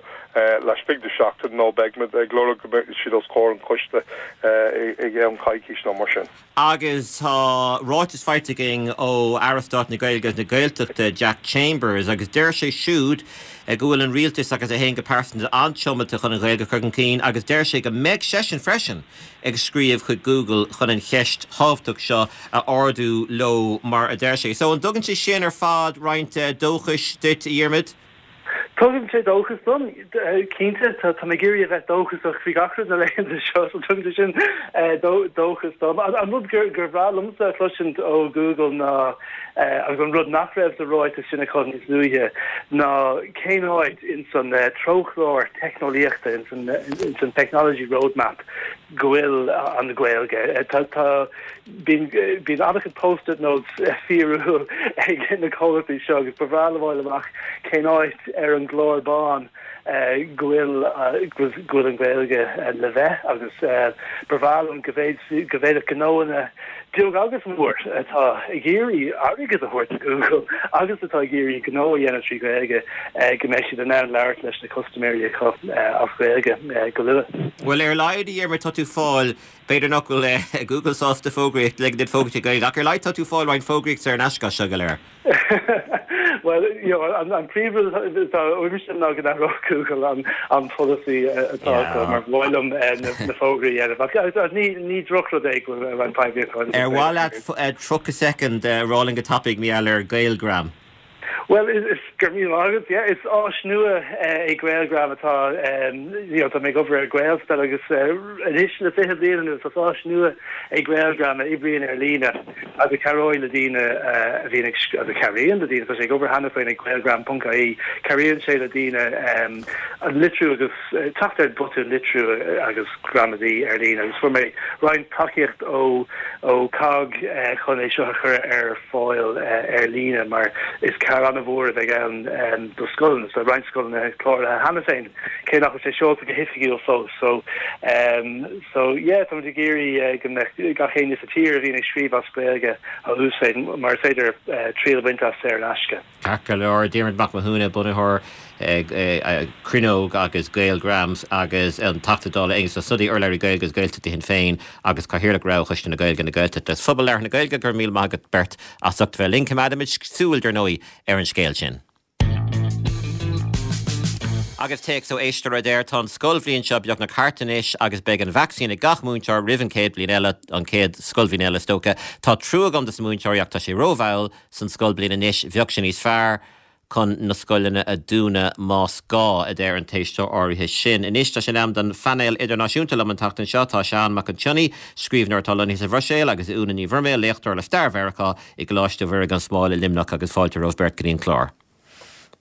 laistigh de seachtain nó beidh muid ag lorg go mbeidh siad os comhair an choiste i gceann coicís nó mar sin. Agus tá ráiteas faighte againn ó Aire Stáit na Gaeilge agus na Gaeltachta, Jack Chambers, agus deir sé siúd go bhfuil an rialtas agus é féin go pearsanta an-tiomanta chun an Ghaeilge a chur chun cinn agus deir sé go mbeidh seisean freisin ag scríobh chuig Google chun an cheist thábhachtach seo a ardú leo mar a deir sé. So an dtugann sé sin ar fad roinnt dóchais duit, a Dhiarmuid? Tugann sé dóchas dom, cinnte, tá mé ag iarraidh a bheith dóchasach faoi gach rud na laethanta seo, so tugann sé sin dóchas dom. An rud gur gur bhreá liomsa a chloisint ó Google ná, agus an rud nach raibh sa ráiteas sin acu níos luaithe, ná cén áit in san treochlár teicneolaíochta, in san in san technology roadmap, go bhfuil an Ghaeilge. Tá tá bíonn bíonn an-chuid post-it notes fíorúil ag na comhlachtaí seo agus ba bhreá liom a fháil amach cén áit ar an gclár bán go bhfuil go bhfuil an Ghaeilge le bheith agus ba bhreá liom go bhféadfadh gnóanna beag agus mór atá ag iarraidh airgead a thabhairt do Google agus atá ag iarraidh gnó a dhéanamh trí Ghaeilge go mbeidh siad in ann labhairt leis na custaiméirí acu as Gaeilge go luath. Bhuel ar a laghad a Dhiarmuid tá tú fáil b'fhéidir nach bhfuil Google sásta fógraíocht le duit fógraíocht i Gaeilge ach ar a laghad tá tú fáil roinnt fógraíocht ar an aisce seo go léir. Well you know, an, an príomhrud atá uaimse ná go n-athródh Google an, an polasaí atá acu mar ba mhaith liom na, na fógraí a dhéanamh. Ach ní, ní drochrud é go bhfuil an poiblíocht Ar mhaith leat tríocha soicind a rá linn go tapaidh mar gheall ar Gaelgram? Well is, is gur mí agus yeah, is áis nua é Gaelgram atá um, you know, tá mé ag obair ar Gaelspell agus uh, anois le fiche bliain anuas is áis nua é Gaelgram a oibríonn ar líne agus cabhróidh le daoine uh, a bhíonn ag agus cabhraíonn le daoine tá sé ag obair cheana féin ag gaelgram.ie cabhraíonn sé le daoine um, an litriú agus uh, teacht ar botúin litriú agus gramadaí ar líne agus fuair mé roinnt tacaíocht ó ó COGG uh, chun é seo a chur ar fáil uh, ar líne mar is cabhair an-mhór a bheidh ann um, do scoileanna so roinnt scoileanna cláraithe cheana féin cé nach sé seolta go hoifigiúil fós so um, so yeah tá ag iarraidh uh, go mbeadh gach éinne sa tír a bhíonn ag scríobh as Gaeilge a úsáid mar is féidir uh, triail a bhaint as ar an aisce. Ceart go leor Diarmuid Mac Mathúna bunaitheoir Cruinneog agus Gaelgrams agus an Teachta Dála Aengus Ó Snodaigh urlabhraí Gaeilge agus Gaeltachta Shinn Féin agus Cathaoirleach Roghchoiste na Gaeilge na Gaeltachta. Is phobal labhartha na Gaeilge go raibh míle maith agat beirt as ucht bheith linn coimeádfaimid súil dar ndóigh ar an scéal sin. Agus téacs ó éisteoir a deir tá an scoilbhliain seo beagnach thart anois agus beidh an vacsaín ag gach múinteoir roimh an chéad bhliain eile an chéad scoilbhliain eile is dócha. Tá trua agam dos na múinteoirí ach tá sé rómhall san scoilbhliain anois bheadh sé níos fearr chun na scoileanna a dhúnadh más gá a deir an t-éisteoir áirithe sin. Anois tá sé in am don phainéal idirnáisiúnta liom an tseachtain seo tá Seán Mac an tSionnaigh, scríbhneoir atá lonnaithe sa Bhruiséil agus Úna Ní Bhruiméil léachtóir le stair Mheiriceá i gColáiste Mhuire gan Smál i Luimneach agus fáilte romhaibh beirt go dtí an clár.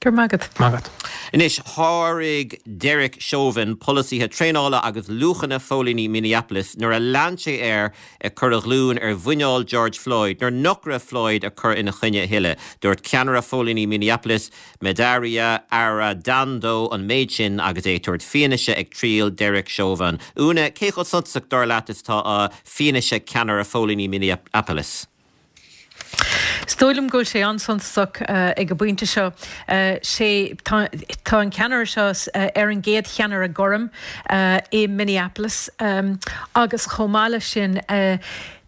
Gur magat. Magat. Anois sháraigh Derek Chauvin polasaithe traenála agus luachanna phóilíní Minneapolis nuair a lean sé air ag cur a ghlúin ar mhuineál George Floyd, nuair nach raibh Floyd ag cur ina choinne a thuilleadh. Dúirt ceannaire phóilíní Minneapolis Medaria Arradondo an méid sin agus é ag tabhairt fianaise ag triail Derek Chauvin. Úna cé chomh suntasach dar leat is atá fianaise ceannaire phóilíní Minneapolis. Is dóigh liom go bhfuil sé an-suntasach uh, ag an bpointe seo uh, sé tá an ceannaire seo uh, ar an gcéad cheannaire gorm uh, i Minneapolis um, agus chomh maith leis sin uh,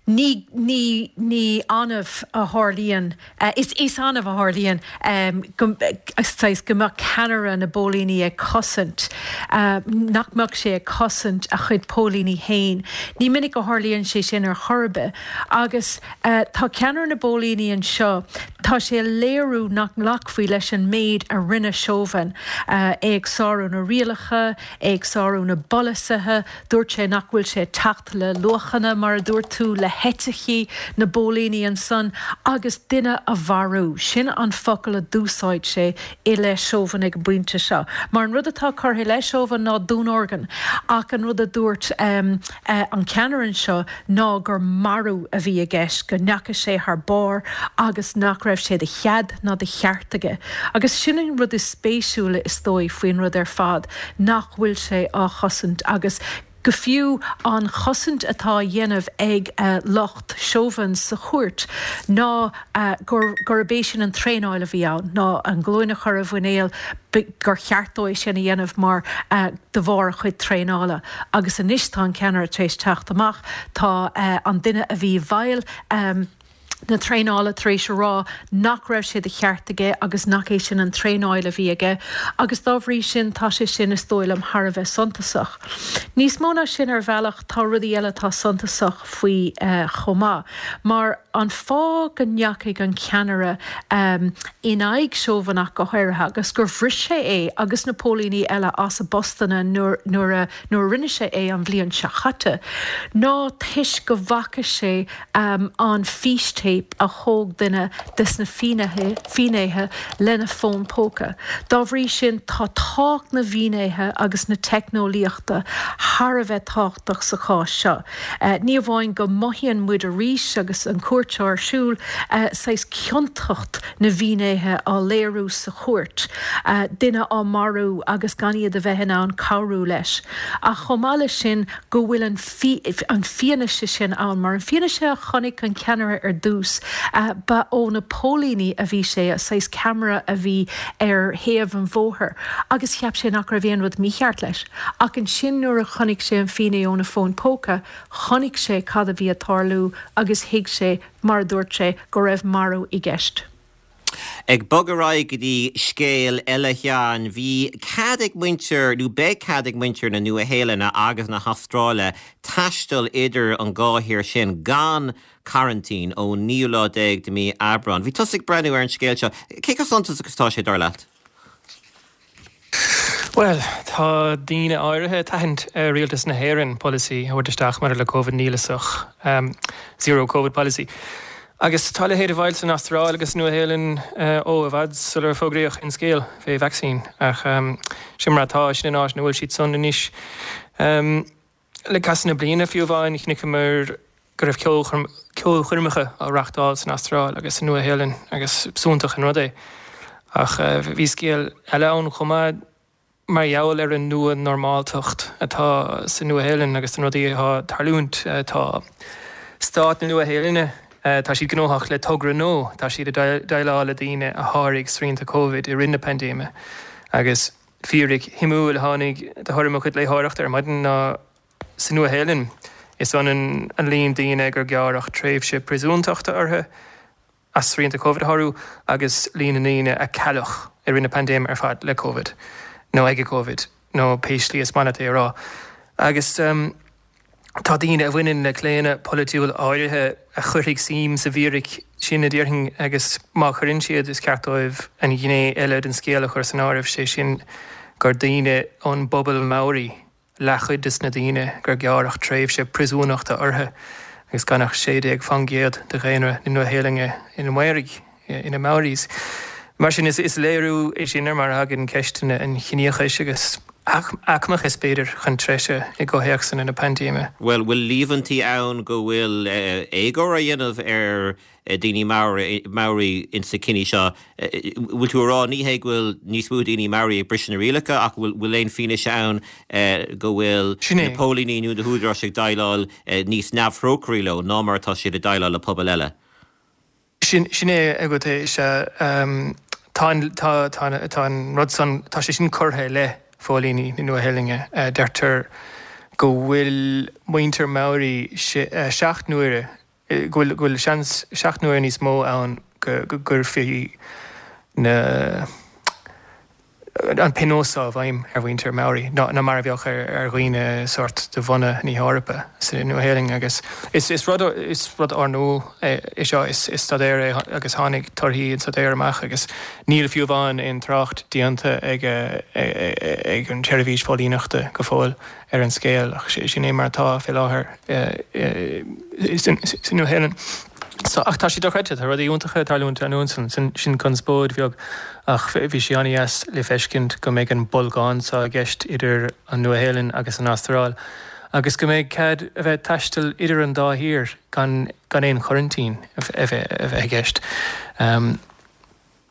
ní ní ní annamh a tharlaíonn uh, is is annamh a tharlaíonn um, go go mbeadh ceannaire na bpóilíní ag cosaint uh, nach mbeadh sé ag cosaint a chuid póilíní féin. Ní minic a tharlaíonn sé sin ar chor ar bith agus uh, tá ceannaire na bpóilíní anseo tá sé léiriú nach nglacfaí leis an méid a rinne Chauvin uh, ag sárú na rialacha, ag sárú na bpolasaithe, dúirt sé nach bhfuil sé teacht le luachanna mar a dúirt tú le heiticí na bpóilíní ansan agus duine a mharú. Sin an focal a d'úsáid sé i leith Chauvin ag an bpointe seo. Mar an rud atá curtha i leith Chauvin ná dúnorgain ach an rud a dúirt um, uh, an ceannaire seo ná gur marú a bhí i gceist go ndeachaigh sé thar barr agus nach raibh sé de chead ná de cheart aige. Agus sin an rud is spéisiúla is dóigh faoin rud ar fad nach bhfuil sé á chosaint agus go fiú an chosaint atá á dhéanamh ag uh, lucht Chauvin sa chúirt ná uh, gur gurb é sin an traenáil a bhí ann ná an glúin a chur ar a mhuineál gur cheart dó é sin a dhéanamh mar uh, de bharr a chuid traenála. agus anois tá an ceannaire tar éis teacht amach tá uh, an duine a bhí i bhfeighil um, na traenála tar éis a rá nach raibh sé de cheart aige agus nach é sin an traenáil a bhí aige, agus dá bhrí sin tá sé sin is dóigh liom thar a bheith suntasach. Níos mó ná sin ar bhealach tá rudaí eile atá suntasach faoi uh, chomh maith, mar an fáth go ndeachaigh an ceannaire um, in aghaidh Chauvin ach go háirithe agus gur bhris sé é agus na póilíní eile as a bpostanna nuair nuair nuair rinne sé é an bhliain seo caite. Ná toisc go bhfaca sé um, an fístéip téip a thóg duine des na finnéithe lena fón póca. Dá bhrí sin tá tábhacht na bhfinnéithe agus na teicneolaíochta thar a bheith tábhachtach sa chás seo. Ní amháin go mothaíonn muid arís agus an chúirt seo ar siúl, saghas ciontacht na bhfinnéithe á léiriú sa chúirt, duine á marú agus gan iad a bheith in ann cabhrú leis. Ach chomh maith leis sin go bhfuil an an fianaise sin ann, mar an fianaise a chonaic an ceannaire ar dtús, ba ó na póilíní a bhí sé, saghas ceamara a bhí ar thaobh an bhóthair, agus cheap sé nach raibh aon rud mícheart leis. Ach ansin nuair a chonaic sé an finné óna fón póca, chonaic sé cad a bhí ag tarlú agus thuig sé, mar a dúirt sé, go raibh marú i gceist. Ag bogadh ar aghaidh go dtí scéal eile a Sheáin, bhí cead ag muintir, nó beidh cead ag muintir na Nua-Shéalainne agus na hAstráile taisteal idir an dhá thír sin gan coraintín ón naoú lá déag de mhí Aibreán. Bhí tusa ag breathnú ar an scéal seo. Cé chomh suntasach is atá sé, dar leat? Bhuel, tá daoine áirithe ag tathant ar Rialtas na hÉireann polasaí a thabhairt isteach maidir le Covid nialasach, Zero Covid Policy. Agus tá a leithéid i bhfeighil san Astráil agus sa Nua-Shéalainn ó i bhfad sular fógraíodh aon scéal fé vacsaín. Ach sin mar atá, sin an áit ina bhfuil siad san anois. Le casadh na bliana fiú amháin, chonaiceamar go raibh ceolchoirmeacha á reachtáil san Astráil agus sa Nua-Shéalainn agus b'iontach an rud é. Ach bhí scéal eile ann chomh maith mar gheall ar an nua-normáltacht atá sa Nua-Shéalainn agus na rudaí atá ag tarlúint. Tá stát na Nua-Shéalainne, tá siad gnóthach le togra nua, tá siad ag déileáil le daoine a sháraigh srianta Covid i rith na paindéime. Agus fíric shuimiúil a tháinig de thoradh mo chuid léitheoireachta ar maidin ná sa Nua-Shéalainn, is ionann an líon daoine gur gearradh tréimhse príosúntachta orthu as srianta Covid a shárú agus líon na ndaoine a cailleadh i rith na paindéime ar fad le Covid nó ag Covid nó pé slí is maith leat é a rá. Agus tá daoine a bhaineann le claonadh polaitiúil áirithe a chuirfidh suim sa bhfíric sin, a déarfainn, agus má chuireann siad, is ceart dóibh an ghné eile den scéal a chur san áireamh, sé sin gur daoine ón bpobal Maori leathchuid de na daoine gur gearradh tréimhse príosúnachta orthu agus gan ach sé déag faoin gcéad de dhaonra na Nua-Shéalainne ina Maoraigh, ina Maoris. Mar sin, is léiriú é sin ar mar a thagann ceisteanna an chiníochais agus aicmeachais, b'fhéidir, chun treise i gcomhthéacsanna na paindéime. Bhuel, bhfuil líomhaintí ann go bhfuil éagóir á dhéanamh ar daoine Maori insa cinneadh seo. Bhfuil tú a rá ní hé go bhfuil níos mó daoine Maori ag briseadh na rialacha ach bhfuil aon fianaise ann go bhfuil na póilíní nó na húdaráis ag déileáil níos neamhthrócairí leo ná mar atá siad ag déileáil le pobail eile? Sin é agat é, is ea. Tá an rud san, tá sé sin curtha i leith phóilíní na Nua-Shéalainne. Deirtear go bhfuil muintir Maori seacht n-uaire go bhfuil seans seacht n-uaire níos mó ann go gcuirfí na an pionós seo i bhfeidhm ar mhuintir Maori ná mar a bheadh ar dhaoine sórt de bhunadh na hEorpa sa Nua-Shéalainn agus is rud is rud úrnua é seo, is staidéar é agus tháinig torthaí an staidéir amach agus níl fiú amháin aon trácht déanta ag ag an tseirbhís phóilíneachta go fóill. ar an scéal, ach sin é mar atá fé láthair sa Nua-Shéalainn. Ach tá sé dochreidte, tá rudaí iontacha ag tarlúint ansan, sin conspóid bheag, ach bhí sé an-dheas le feiscint go mbeidh an bolgán seo i gceist idir an Nua-Shéalainn agus an Astráil, agus go mbeidh cead a bheith ag taisteal idir an dá thír gan aon choraintín a bheith i gceist.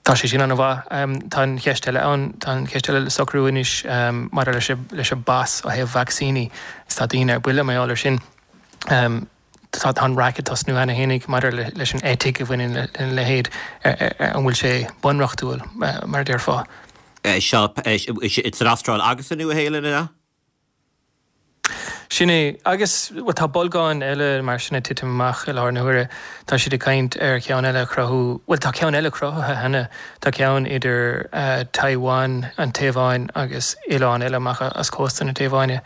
Tá sé sin an-mhaith. Tá an cheist eile ann, tá an cheist eile le socrú anois maidir leis leis an bpas ó thaobh vacsaíní. Is tá daoine ar buile mar gheall air sin. Tá tá an raic ag tosnú cheana fhéinig maidir leis an eitic a bhaineann lena leithéid, an bhfuil sé bunreachtúil, mar a déarfá. Seo san Astráil agus sa Nua-Shéalainn, an ea? Sin é. Agus, bhuel, tá bolgáin eile mar sin ag titim amach i láthair na huaire. Tá siad ag caint ar cheann eile a chruthú, bhuel, tá ceann eile cruthaithe cheana. Tá ceann idir Taiwan, an Téaváin, agus oileán eile amach as cósta na Téaváine.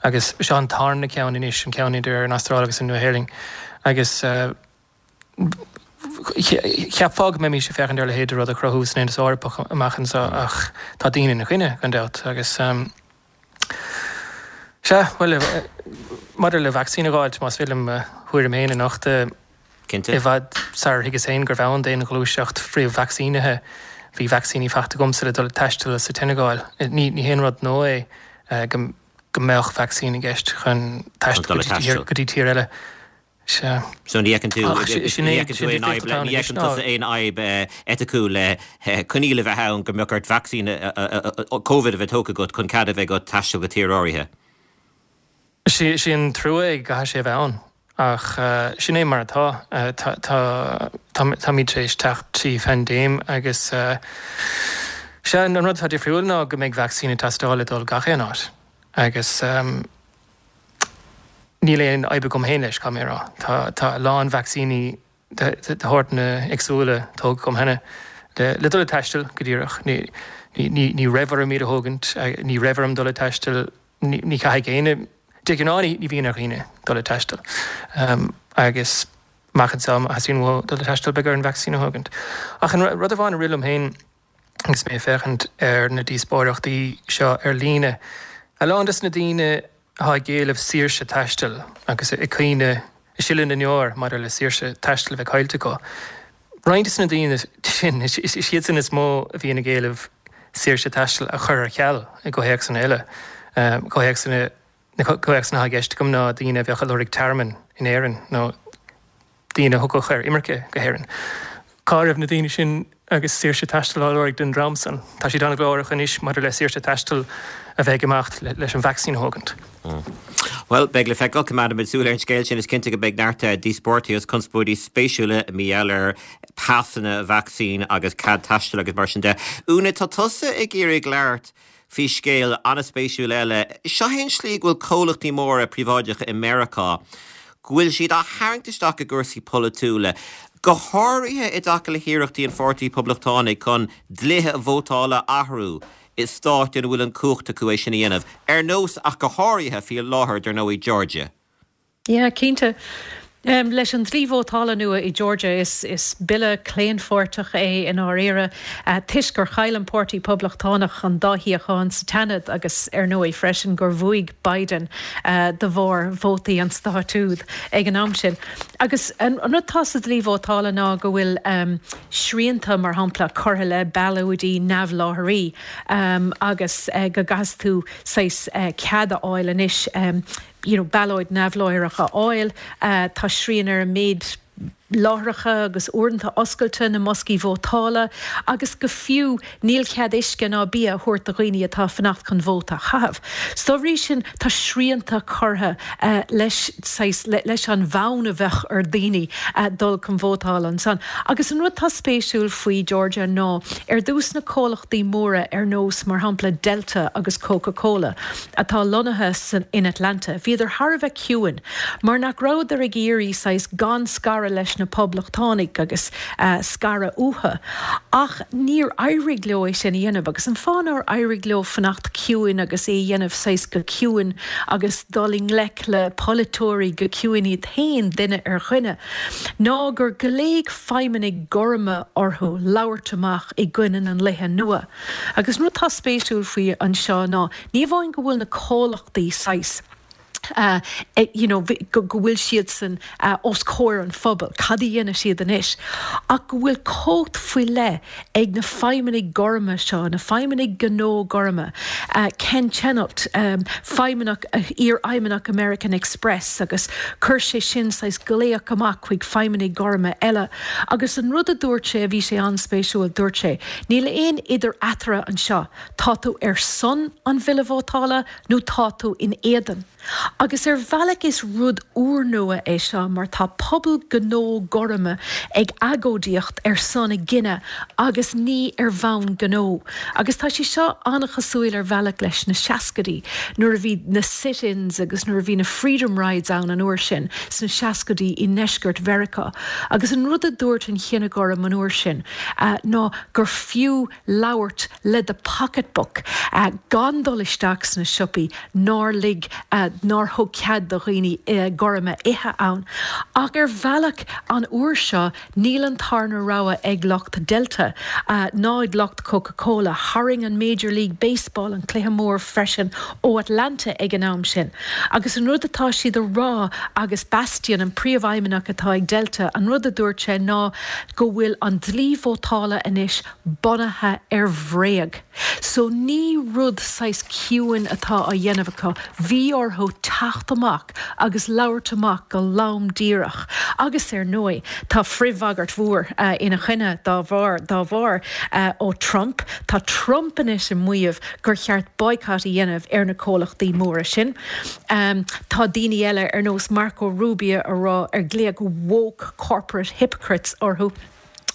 Agus seo an tarna ceann anois, an ceann idir an Astráil agus an Nua-Shéalainn. Agus cheapfá go mbeimis ag féachaint ar a leithéid de rud a chruthú san Aontas Eorpach amach anseo ach tá daoine ina choinne, gan dabht. Agus. Sea, bhuel, maidir le vacsaín a dh'fháilt, más féidir liom mo thuairim féin a nochtadh, Cinnte. I bhfad sarar thuigeas féin gurbh ann d'aon ghluaiseacht frith-vacsaínithe, bhí vacsaíní faighte agamsa le dul ag taisteal sa tSeineagáil. Ní ní haon rud nua é go go mbeadh vacsaín i gceist chun taisteal go dtí tír eile. Sea. So ní fheiceann tú Ach sin ní é fheiceann tú sin aon difríocht fhadhb atá le ann ní anois fheiceann ná tusa aon fhadhb eiticiúil le coinníoll a bheith ann go mbeadh ort vacsaín Covid a bheith tógtha agat chun cead a bheith agat taisteal go tír áirithe. Sé sé an trua é go gcaithfidh sé a bheith ann. Ach sin é mar atá. Táimid tar éis teacht trí phaindéim agus sea, an rud atá difriúil ná go mbeidh vacsaín ag teastáil le dul gach aon áit. Agus níl aon fhadhb agam féin leis, caithfidh mé a rá. Tá a lán vacsaíní de shórtanna éagsúla tógtha agam cheana le dul ag taisteal, go díreach. Ní raibh orm iad a thógaint, ní raibh orm dul ag taisteal. Ní chaithfidh éinne, de ghnáth ní bhíonn ar dhaoine dul ag taisteal agus amach anseo má theastaíonn uathu dul ag taisteal beidh orthu an vacsaín a thógaint. Ach an rud amháin a rith liom féin agus mé ag féachaint ar na díospóireachtaí seo ar líne, a lán des na daoine atá ag éileamh saoirse taistil agus ag caoineadh, ag sileadh na ndeor maidir le saoirse taistil a bheith caillte acu, roinnt des na daoine sin, is iadsan is mó a bhíonn ag éileamh saoirse taistil a chur ar ceal i gcomhthéacsanna eile. Comhthéacsanna, na comhthéacsanna atá i gceist agam ná daoine a bheadh ag lorg tearmainn in Éirinn nó daoine a thiocfadh ar imirce go hÉirinn. Cá raibh na daoine sin agus saoirse taistil á lorg den dream san? Tá siad an-ghlórach anois maidir le saoirse taistil a bheith ag imeacht leis an vacsaín a thógaint. Bhuel, beidh le feiceáil. Coimeádfaimid súil ar an scéal sin. Is cinnte go mbeidh neart díospóireachtaí agus conspóidí spéisiúla mar gheall ar pasanna vacsaín agus cead taistil agus mar sin de. Úna, tá tusa ag iarraidh labhairt faoi scéal an-spéisiúil eile. Seo é an tslí go bhfuil comhlachtaí móra príobháideacha i Meiriceá, go bhfuil siad á tharraingt isteach i gcúrsaí polaitiúla, go háirithe i dtaca le hiarrachtaí an Pháirtí Poblachtánaigh chun dlíthe vótála a athrú i stáit ina bhfuil an chumhacht acu é sin a dhéanamh, ar nós ach go háirithe faoi láthair, dar ndóigh, Georgia. Yeah, cinnte. Leis an dlí vótála nua i Georgia, is is bille claonpháirteach é i ndáiríre, toisc gur chaill an Páirtí Poblachtánach an dá shuíochán sa tSeanad agus ar ndóigh freisin gur bhuaigh Biden de bharr vótaí an stáit úd ag an am sin. Agus an rud atá sa dlí vótála ná go bhfuil srianta, mar shampla, curtha le ballóidí neamhláithrí agus go gcaithfidh tú saghas cead a fháil anois you know, ballóid neamhláithreach a fháil. Tá srian ar an méid láithreacha agus uaireanta oscailte na mboscaí vótála agus go fiú níl cead uisce ná bia a thabhairt do dhaoine atá ag fanacht chun vóta a chaitheamh. So dá bhrí sin tá srianta curtha leis saghas leis an bhfonn a bheadh ar daoine dul chun vótála ansan. Agus an rud atá spéisiúil faoi Georgia ná ar dtús na comhlachtaí móra ar nós mar shampla Delta agus Coca Cola atá lonnaithe san in Atlanta bhíodar thar a bheith ciúin mar nach rabhadar ag iarraidh saghas gan scaradh leis na Poblachtánaigh agus scaradh uathu. Ach níor éirigh leo é sin a dhéanamh agus an fáth nár éirigh leo fanacht ciúin agus é a dhéanamh saghas go ciúin agus dul i ngleic le polaiteoirí go ciúin iad féin duine ar dhuine ná gur ghlaoigh feidhmeannaigh gorma orthu labhairt amach i gcoinne na ndlíthe nua. Agus an rud atá spéisiúil faoi anseo ná ní amháin go bhfuil na comhlachtaí saghas you know, go bhfuil siadsan os comhair an phobail, cad a dhéanfaidh siad anois, ach go bhfuil cumhacht faoi leith ag na feidhmeannaigh gorma seo, na feidhmeannaigh gnó gorma, Ken Chenault, feidhmeannach, iar-fheidhmeannach American Express agus chuir sé sin saghas glaoch amach chuig feidhmeannaigh gorma eile agus an rud a dúirt sé a bhí sé an-spéisiúil, dúirt sé, níl aon idir eatarthu anseo, tá tú ar son an bhille vótála nó tá tú in éadan. Agus ar bhealach is rud úrnua é seo mar tá pobal gnó gorma ag agóidíocht ar son a gcine agus ní ar bhonn gnó. Agus tá sé seo an-chosúil ar bhealach leis na seascaidí nuair a bhí na sit-ins agus nuair a bhí na freedom rides ann an uair sin sna seascaidí i ndeisceart Mheiriceá. Agus an rud a dúirt an chine gorm an uair sin ná gur fiú labhairt le do pocketbook gan dul isteach sna siopaí nár lig nár nár thug cead do dhaoine gorma ithe ann. Ach ar bhealach an uair seo níl an tarna rogha ag lucht Delta ná ag lucht Coca-Cola. Tharraing an Major League Baseball an cluiche mór freisin ó Atlanta ag an am sin. Agus an rud atá siad a rá agus Bastian an príomhfheidhmeannach atá ag Delta, an rud a dúirt sé ná go bhfuil an dlí vótála anois bunaithe ar bhréag. So ní rud saghas ciúin atá á dhéanamh acu, bhí orthu teacht amach agus labhairt amach go lom díreach. Agus ar ndóigh, tá frithbhagairt mhór ina choinne dá bharr dá bharr ó Trump. Tá Trump anois ag maíomh gur cheart boycott a dhéanamh ar na comhlachtaí móra sin. Tá daoine eile ar nós Marco Rubio a rá ar glaodh woke corporate hypocrites orthu.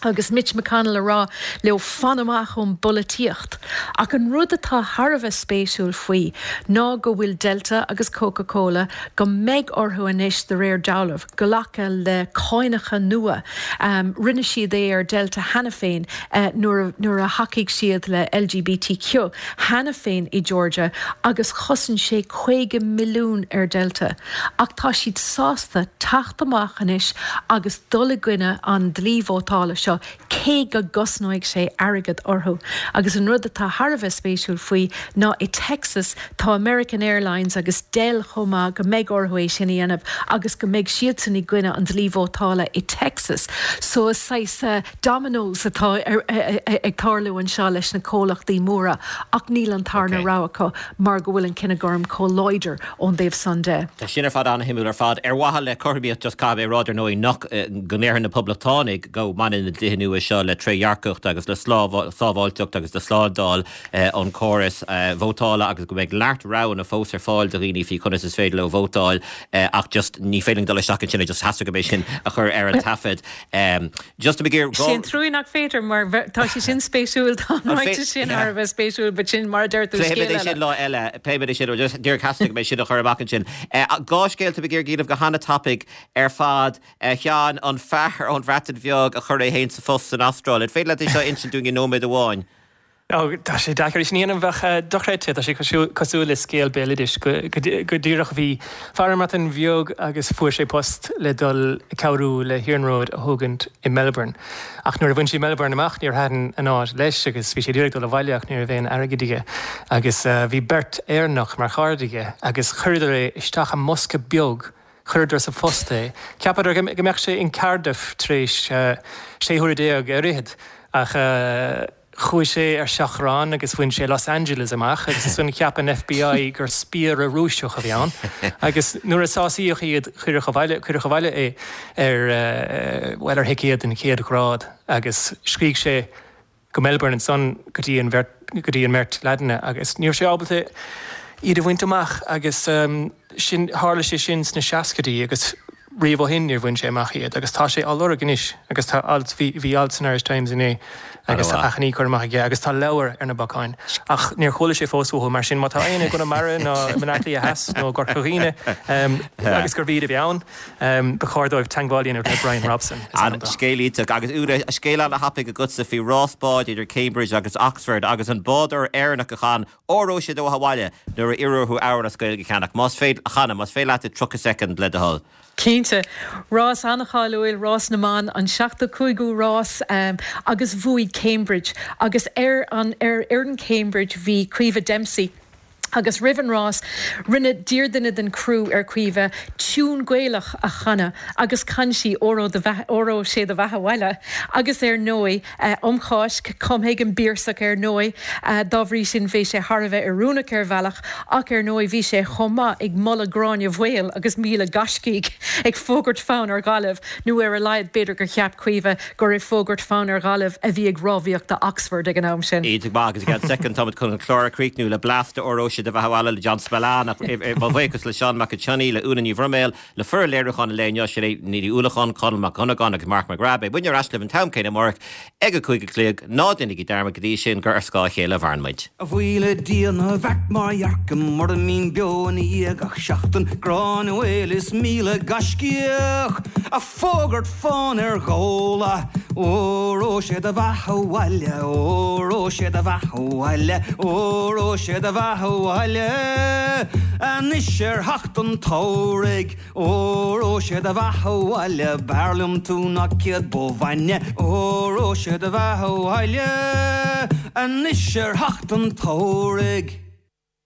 Agus Mitch McConnell a rá leo fan amach ón bpolaitíocht. Ach an rud atá thar a bheith spéisiúil faoi ná go bhfuil Delta agus Coca-Cola go mbeidh orthu anois de réir dealraimh glacadh le cáinacha nua. Rinne siad é ar Delta cheana féin nuair nuair a thacaigh siad le LGBTQ cheana féin i Georgia agus chosain sé caoga milliún ar Delta. Ach tá siad sásta teacht amach anois agus dul i gcoinne an dlí vótála seo cé go gcosnóidh sé airgead orthu. Agus an rud atá thar a bheith spéisiúil faoi ná i Texas tá American Airlines agus Dell chomh maith go mbeidh orthu é sin a dhéanamh agus go mbeidh siadsan i gcoinne an dlí vótála i Texas. So is saghas dominoes atá ag tarlú anseo leis na comhlachtaí móra ach níl an tarna rogha acu mar go bhfuil an cine gorm chomh láidir ón dtaobh san de. Tá sin ar fad an-shuimiúil ar fad. Ar mhaithe le cothromaíocht just caithfidh mé a rá ar ndóigh nach go ndéarfaidh na Poblachtánaigh go mbaineann na dlíthe nua seo le trédhearcacht agus le sábháilteacht agus le slándáil an chórais vótála agus go mbeidh neart roghanna fós ar fáil do dhaoine faoi conas is féidir leo vótáil ach just ní féidir dul isteach ansin just theastaigh go mbeidh sin a chur ar an taifead. Just ag iarraidh Sin trua nach féidir mar tá sé sin spéisiúil tá sin thar a bheith spéisiúil, but sin mar deir tú scéal eile. sin lá eile pléifimid sin just díreach theastaigh go mbeidh sin a chur amach ansin. Dhá scéal ag iarraidh go han-tapaidh ar fad Sheáin an fear ón Bhreatain Bheag a chuir é féin sa phost san Astráil. An féidir leat é seo a insint dúinn i nóiméad amháin? Ó, tá sé deacair sin a dhéanamh bheadh dochreidte, tá sé cosúil le scéal béaloidis go díreach bhí fear i mBreatain Bheag agus fuair sé post le dul cabhrú le hiarnród a thógaint i Melbourne. Ach nuair a bhain sé Melbourne amach níor thaitin an áit leis agus bhí sé ag iarraidh dul abhaile ach ní raibh aon airgead aige. Agus bhí beirt Éireannach mar chairde aige agus chuireadar é isteach i mbosca beag Chuireadar sa phost é. Cheapadar go mbeadh sé in Cardiff tar éis sé huaire déag ar fhichead ach chuaigh sé ar seachrán agus bhain sé Los Angeles amach agus ansan cheap an FBI gur spiaire Rúiseach a bhí ann agus nuair a sásaíodh iad cuireadh abhaile cuireadh abhaile é ar bhuel ar thicéad den chéad ghrád agus scrígh sé go Melbourne ansan go dtí an bheirt go dtí an mbeirt leaideanna agus ní raibh sé ábalta iad a bhaint amach agus sin tharla sé sin sna seascaidí agus riamh ó shin níor bhain sé amach iad agus tá sé á lorg anois agus tá alt bhí bhí alt san Irish Times inné agus tá achainí curtha amach aige agus tá leabhar ar na bacáin ach níor chuala sé fós uathu mar sin má tá éinne i gConamara nó i mBaile Átha Cliath Theas nó i gCorca Dhuibhne agus gurbh iad a bhí ann ba chóir dóibh teagmháil a dhéanamh le Brian Robson is ainm dó. Scéal iontach agus Úna, scéal an-thapaidh agatsa faoi rás báid idir Cambridge agus Oxford agus an bádóir Éireannach a chan Óró sé do bheatha abhaile nuair a iarradh orthu amhrán as Gaeilge a cheannach. Más féidir, a chanadh, más féidir leat i tríocha soicind le do thoil. Cinnte. Rás an-cháiliúil, rás na mban, an seachtó cúigiú rás agus bhuaigh Cambridge agus ar an ar fhoireann Cambridge bhí Caoimhe Dempsey agus roimh an rás rinne d'iarr duine den criú ar Caoimhe tiún Gaelach a chanadh agus chan sí Óró do bheatha Óró sé do bheatha abhaile agus ar ndóigh um Cháisc, cumtha ag an bPiarsach ar ndóigh, dá bhrí sin bhí sé thar a bheith oiriúnach ar bhealach ach ar ndóigh bhí sé chomh maith ag moladh Gráinne Mhaol agus míle gaiscígh ag fógairt fonn ar Ghaillimh nó ar a laghad b'fhéidir gur cheap Caoimhe gur ag fógairt fonn ar Ghaillimh a bhí ag rámhaíocht do Oxford ag an am sin. Iontach maith agus i gceann soicind táimid chun an clár a chríochnú le blas de Óró Sé do Bheatha Abhaile le John Spillane ach mo bhuíochas le Seán Mac Sionnaigh, le Úna Ní Bhroiméil, le foireann léiriúcháin an lae inniu, Sinéad Ní Uallacháin, Conall Mac Dhonnagáin agus Mark McGrath. Beidh muidne ar ais libh an t-am céanna amárach ag a cúig a chlog. Ná déanaigí dearmad go dtí sin gur ar scáth a chéile a mhaireann muid. A bhuí le Dia ná bheart mar dhearcaim mura mbínn beo ina dhiaidh gach seachtain, Gráinne Mhaol is míle gaiscíoch a' fógairt fonn ar Ghabhla. Óró sé do bheatha abhaile, óró sé do bheatha abhaile, óró sé do bheatha abhaile. Anois ar theacht an tsamhraidh, óró sé do bheatha abhaile, b'fhearr liom tú ná céad bó bhainne, óró sé do bheatha abhaile. Anois ar theacht an tsamhraidh.